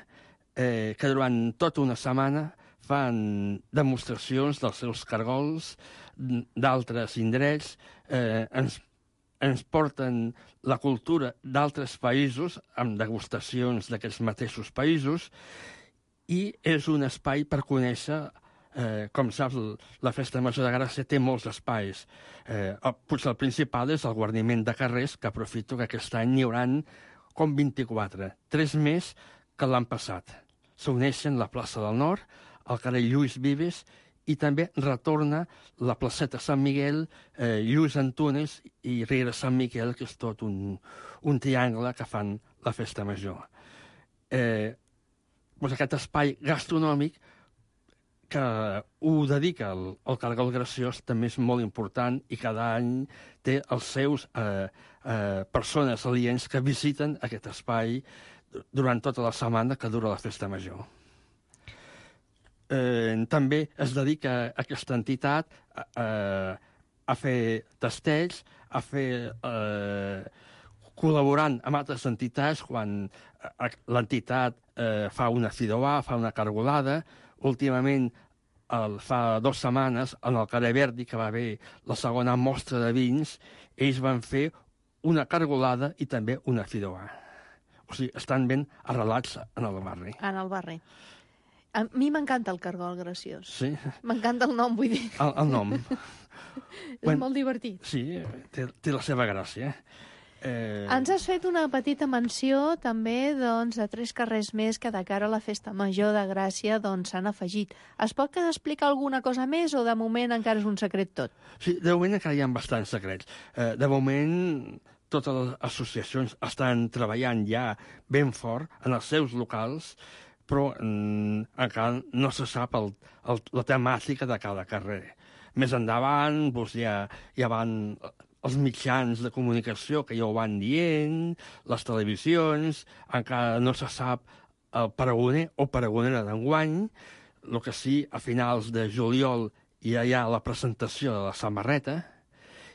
eh, que durant tota una setmana fan demostracions dels seus cargols, d'altres indrets, eh, ens, ens porten la cultura d'altres països, amb degustacions d'aquests mateixos països, i és un espai per conèixer. Eh, com saps, la Festa Major de Gràcia té molts espais. Eh, el, potser el principal és el guarniment de carrers, que aprofito que aquest any n'hi haurà com vint-i-quatre, tres més que l'any passat. S'uneixen la plaça del Nord, el carrer Lluís Vives, i també retorna la placeta Sant Miguel, eh, Lluís Antunes i Riera Sant Miquel, que és tot un, un triangle que fan la Festa Major. Eh, doncs aquest espai gastronòmic que ho dedica al, al Cargol Graciós també és molt important i cada any té els seus eh, eh, persones aliens que visiten aquest espai durant tota la setmana que dura la Festa Major. Eh, també es dedica aquesta entitat a, a fer tastells, a fer eh, col·laborant amb altres entitats quan l'entitat eh, fa una fideuà, fa una cargolada. Últimament, el, fa dues setmanes, en el Carrer Verdi, que va haver la segona mostra de vins, ells van fer una cargolada i també una fideuà. O sigui, estan ben arrelats en el barri. En el barri. A mi m'encanta el Cargol Graciós. Sí? M'encanta el nom, vull dir. El, el nom. És bueno, molt divertit. Sí, té, té la seva gràcia. Eh... Ens has fet una petita menció també doncs, de tres carrers més que de cara a la Festa Major de Gràcia doncs, s'han afegit. Es pot explicar alguna cosa més o de moment encara és un secret tot? Sí, de moment encara hi ha bastants secrets. Eh, de moment totes les associacions estan treballant ja ben fort en els seus locals, però mm, encara no se sap el, el, la temàtica de cada carrer. Més endavant doncs, ja, ja van els mitjans de comunicació que ja ho van dient, les televisions, encara no se sap el pregoner o pregonera d'enguany, el que sí, a finals de juliol ja hi ha la presentació de la samarreta,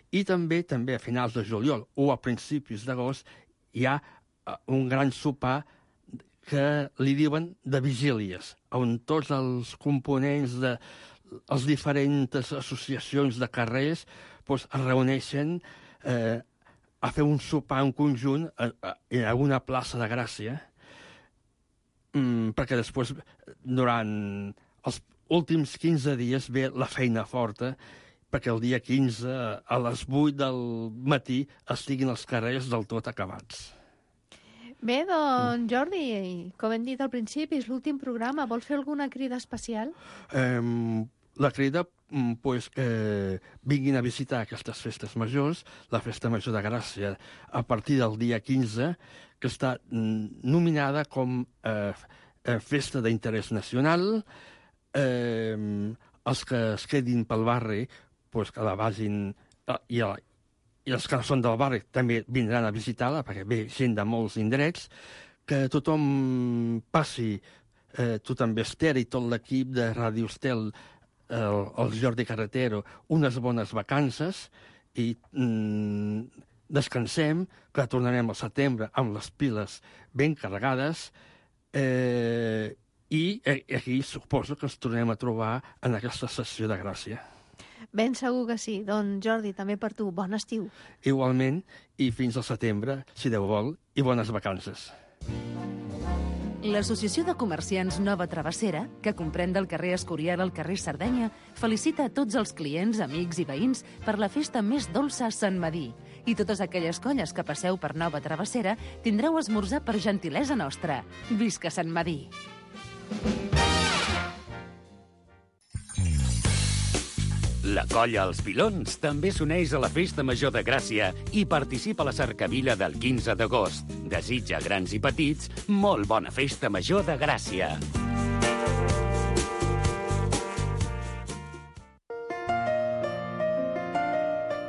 i també també a finals de juliol o a principis d'agost hi ha un gran sopar que li diuen de vigílies, on tots els components de les diferents associacions de carrers doncs, es reuneixen eh, a fer un sopar en conjunt a, a, en alguna plaça de Gràcia, mm, perquè després, durant els últims quinze dies, ve la feina forta, perquè el dia quinze, a les vuit del matí, estiguin els carrers del tot acabats. Bé, doncs, Jordi, com hem dit al principi, és l'últim programa. Vols fer alguna crida especial? Eh, la crida, pues, que vinguin a visitar aquestes festes majors, la Festa Major de Gràcia, a partir del dia quinze, que està nominada com eh, Festa d'interès nacional. Eh, els que es quedin pel barri pues, que la vagin... I, el, I els que són del barri també vindran a visitar-la, perquè ve gent de molts indrets, que tothom passi, eh, tu també, Esther, i tot l'equip de Ràdio Estel, el, el Jordi Carretero, unes bones vacances i mm, descansem, que tornarem al setembre amb les piles ben carregades eh, i aquí suposo que ens tornem a trobar en aquesta sessió de Gràcia. Ben segur que sí. Doncs, Jordi, també per tu, bon estiu. Igualment, i fins al setembre, si Déu vol, i bones vacances. L'Associació de Comerciants Nova Travessera, que comprèn del carrer Escorial al carrer Sardenya, felicita a tots els clients, amics i veïns per la festa més dolça a Sant Medir. I totes aquelles colles que passeu per Nova Travessera tindreu esmorzar per gentilesa nostra. Visca Sant Medir! La colla Els Pilons també s'uneix a la Festa Major de Gràcia i participa a la cercavila del quinze d'agost. Desitja grans i petits molt bona Festa Major de Gràcia.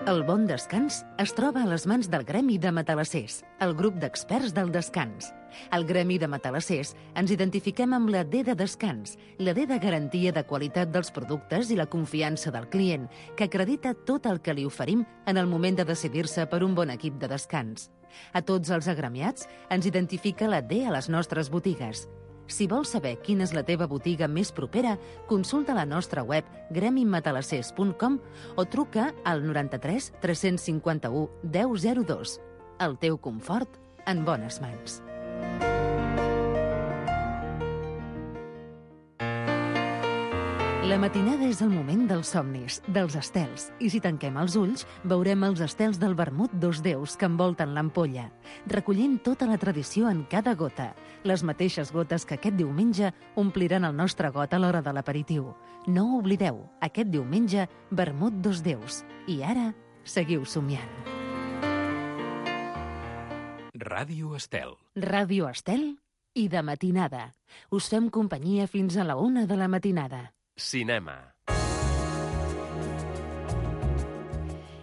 El bon descans es troba a les mans del Gremi de Matalassers, el grup d'experts del descans. Al Gremi de Matalassers ens identifiquem amb la D de descans, la D de garantia de qualitat dels productes i la confiança del client, que acredita tot el que li oferim en el moment de decidir-se per un bon equip de descans. A tots els agremiats ens identifica la D a les nostres botigues. Si vols saber quina és la teva botiga més propera, consulta la nostra web gremi matalassers punt com o truca al noranta-tres tres cinquanta-u deu zero dos. El teu confort en bones mans. La matinada és el moment dels somnis, dels estels, i si tanquem els ulls, veurem els estels del vermut dos déus que envolten l'ampolla, recollint tota la tradició en cada gota, les mateixes gotes que aquest diumenge ompliran el nostre got a l'hora de l'aperitiu. No ho oblideu, aquest diumenge, vermut dos déus. I ara, seguiu somiant. Ràdio Estel. Ràdio Estel i de matinada. Us fem companyia fins a la una de la matinada. Cinema.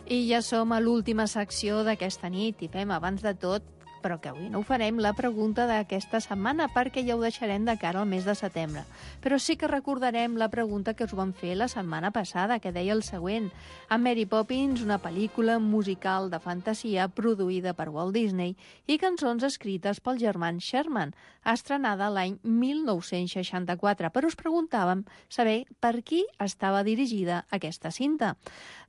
I ja som a l'última secció d'aquesta nit i fem, abans de tot, però que avui no ho farem, la pregunta d'aquesta setmana, perquè ja ho deixarem de cara al mes de setembre. Però sí que recordarem la pregunta que us vam fer la setmana passada, que deia el següent. A Mary Poppins, una pel·lícula musical de fantasia produïda per Walt Disney i cançons escrites pel germán Sherman, estrenada l'any mil nou-cents seixanta-quatre. Però us preguntàvem saber per qui estava dirigida aquesta cinta.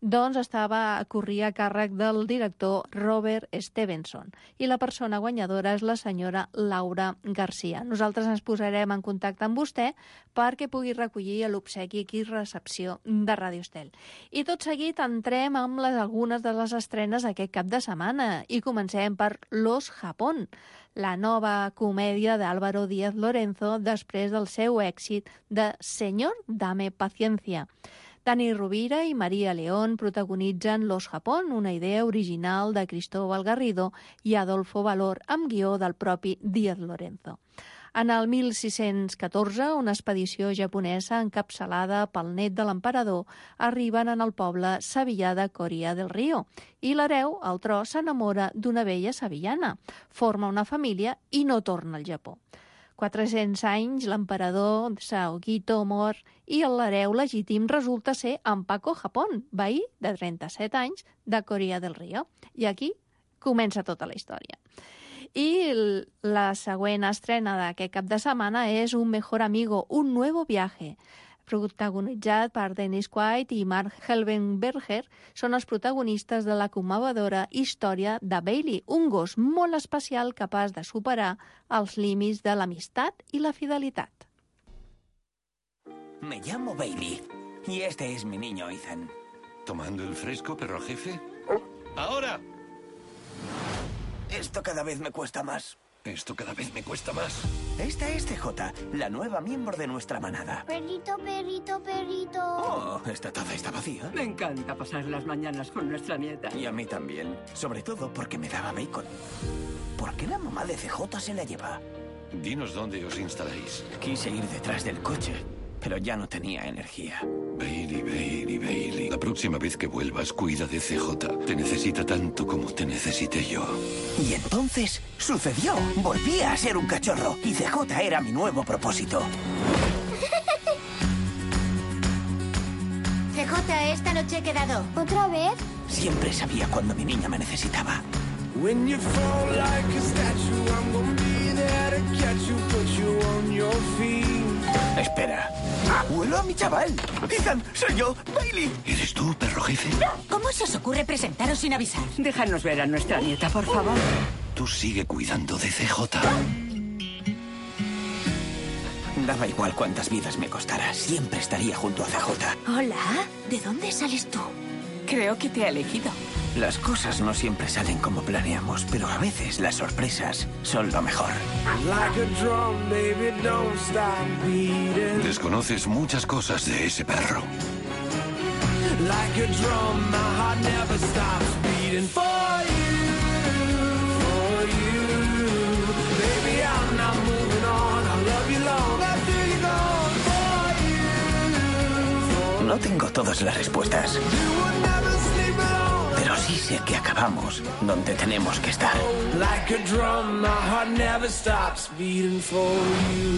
Doncs estava, corria a càrrec del director Robert Stevenson i la persona guanyadora és la senyora Laura Garcia. Nosaltres ens posarem en contacte amb vostè perquè pugui recollir l'obsequi aquí recepció de Ràdio Estel. I tot seguit entrem amb les, algunes de les estrenes aquest cap de setmana i comencem per Los Japón, la nova comèdia d'Álvaro Díaz Lorenzo després del seu èxit de Señor, dame paciencia. Dani Rovira i Maria León protagonitzen Los Japón, una idea original de Cristóbal Garrido i Adolfo Valor, amb guió del propi Díaz Lorenzo. En el mil sis-cents catorze, una expedició japonesa encapçalada pel net de l'emperador arriben en el poble sevillà de Coria del Río i l'hereu, al tro, s'enamora d'una vella sevillana, forma una família i no torna al Japó. quatre-cents anys, l'emperador Saogito mor i l'hereu legítim resulta ser en Paco Japón, veí de trenta-set anys de Coria del Río. I aquí comença tota la història. I la següent estrena d'aquest cap de setmana és Un mejor amigo, un nuevo viaje, protagonitzat per Dennis Quaid i Mark Helvenberger, són els protagonistes de la commovedora història de Bailey, un gos molt especial capaç de superar els límits de l'amistat i la fidelitat. Me llamo Bailey y este es mi niño Ethan. ¿Tomando el fresco, perro jefe? ¡Ahora! Esto cada vez me cuesta más. Esto cada vez me cuesta más. Esta es C J, la nueva miembro de nuestra manada. Perrito, perrito, perrito. Oh, esta taza está vacía. Me encanta pasar las mañanas con nuestra nieta. Y a mí también. Sobre todo porque me daba bacon. ¿Por qué la mamá de C J se la lleva? Dinos dónde os instaláis. Quise ir detrás del coche, pero ya no tenía energía. Bailey, Bailey, Bailey. La próxima vez que vuelvas, cuida de C J. Te necesita tanto como te necesité yo. Y entonces sucedió. Volví a ser un cachorro y C J era mi nuevo propósito. C J, esta noche he quedado. ¿Otra vez? Siempre sabía cuando mi niña me necesitaba. When you fall like a statue, I'm gonna be there to catch you, put you on your feet. Espera. ¡Abuelo a mi chaval! Ethan, soy yo, Bailey. ¿Eres tú, perro jefe? ¿Cómo se os ocurre presentaros sin avisar? Déjanos ver a nuestra nieta, por favor. Tú sigue cuidando de C J. Daba igual cuántas vidas me costara. Siempre estaría junto a C J. Hola, ¿de dónde sales tú? Creo que te ha elegido. Las cosas no siempre salen como planeamos, pero a veces las sorpresas son lo mejor. Like a drum, baby, don't stop beating. Desconoces muchas cosas de ese perro. Like a drum, my heart never stops beating for you, for you. Baby, I'm not moving on, I love you long after you're gone, for you. No tengo todas las respuestas, pero sí sé que acabamos donde tenemos que estar. Like a drum, my heart never stops beating for you.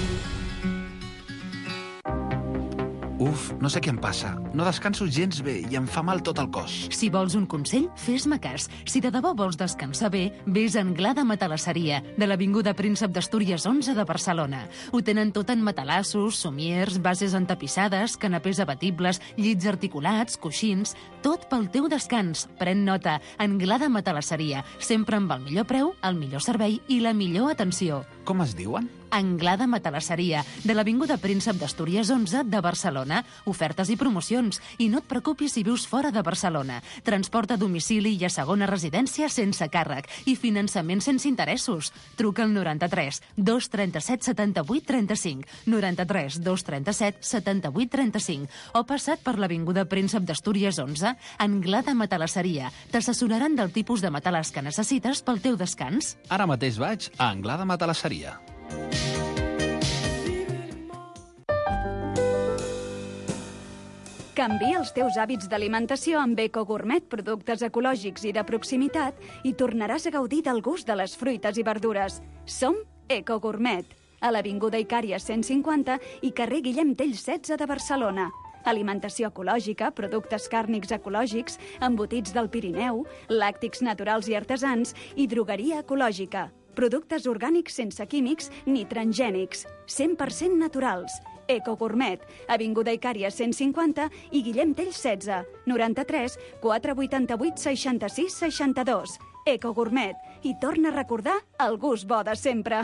Uf, no sé què em passa. No descanso gens bé i em fa mal tot el cos. Si vols un consell, fes-me cas. Si de debò vols descansar bé, vés a Anglada Matalasseria, de l'Avinguda Príncep d'Astúries onze de Barcelona. Ho tenen tot en matalassos, somiers, bases entapissades, canapés abatibles, llits articulats, coixins... Tot pel teu descans. Pren nota. Anglada Matalasseria. Sempre amb el millor preu, el millor servei i la millor atenció. Com es diuen? Anglada Matalasseria, de l'Avinguda Príncep d'Astúries onze de Barcelona. Ofertes i promocions. I no et preocupis si vius fora de Barcelona. Transport a domicili i a segona residència sense càrrec. I finançament sense interessos. Truca al noranta-tres dos trenta-set setanta-vuit trenta-cinc, noranta-tres dos trenta-set setanta-vuit trenta-cinc, o passat per l'Avinguda Príncep d'Astúries onze, Anglada Matalasseria. T'assessoraran del tipus de matalàs que necessites pel teu descans. Ara mateix vaig a Anglada Matalasseria. Canvia els teus hàbits d'alimentació amb Eco Gourmet, productes ecològics i de proximitat, i tornaràs a gaudir del gust de les fruites i verdures. Som Eco Gourmet, a l'Avinguda Icària cent cinquanta i carrer Guillem Tell setze de Barcelona. Alimentació ecològica, productes càrnics ecològics, embotits del Pirineu, làctics naturals i artesans i drogueria ecològica. Productes orgànics sense químics ni transgènics, cent per cent naturals. Eco Gourmet, Avinguda Icària cent cinquanta i Guillem Tell setze, noranta-tres quatre vuitanta-vuit seixanta-sis seixanta-dos. Eco Gourmet, i torna a recordar el gust bo de sempre.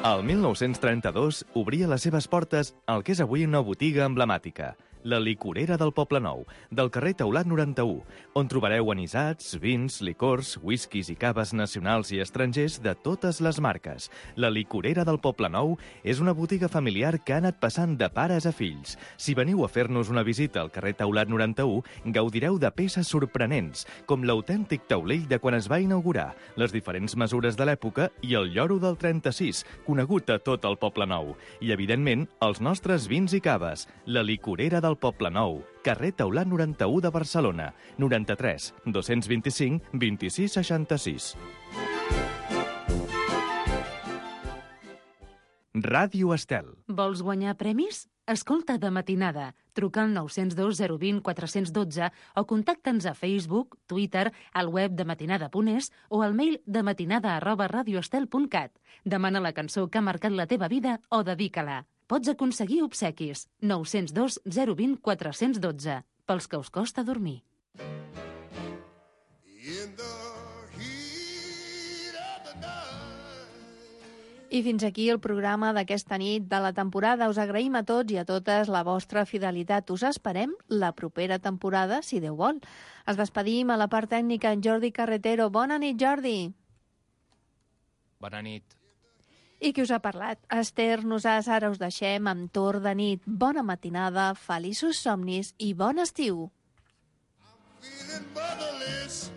El mil nou-cents trenta-dos obria les seves portes al que és avui una botiga emblemàtica, la Licorera del Poblenou, del carrer Taulat noranta-u, on trobareu anisats, vins, licors, whiskies i caves nacionals i estrangers de totes les marques. La Licorera del Poblenou és una botiga familiar que ha anat passant de pares a fills. Si veniu a fer-nos una visita al carrer Taulat noranta-u, gaudireu de peces sorprenents, com l'autèntic taulell de quan es va inaugurar, les diferents mesures de l'època i el lloro del trenta-sis, conegut a tot el Poblenou. I, evidentment, els nostres vins i caves. La Licorera del Poblenou, carrer Taulat noranta-u de Barcelona, noranta-tres dos-cents vint-i-cinc vint-i-sis seixanta-sis. Ràdio Estel. Vols guanyar premis? Escolta de matinada. Truca al nou zero dos zero dos zero quatre un dos o contacta'ns a Facebook, Twitter, al web de matinada punt es o al mail de matinada arroba radioestel punt cat. Demana la cançó que ha marcat la teva vida o dedica-la. Pots aconseguir obsequis. nou zero dos zero dos zero quatre un dos, pels que us costa dormir. I fins aquí el programa d'aquesta nit de la temporada. Us agraïm a tots i a totes la vostra fidelitat. Us esperem la propera temporada, si Déu vol. Es despedim a la part tècnica en Jordi Carretero. Bona nit, Jordi. Bona nit. I qui us ha parlat? Esther Nosàs. Ara us deixem amb Torn de nit. Bona matinada, feliços somnis i bon estiu. I'm feeling motherless.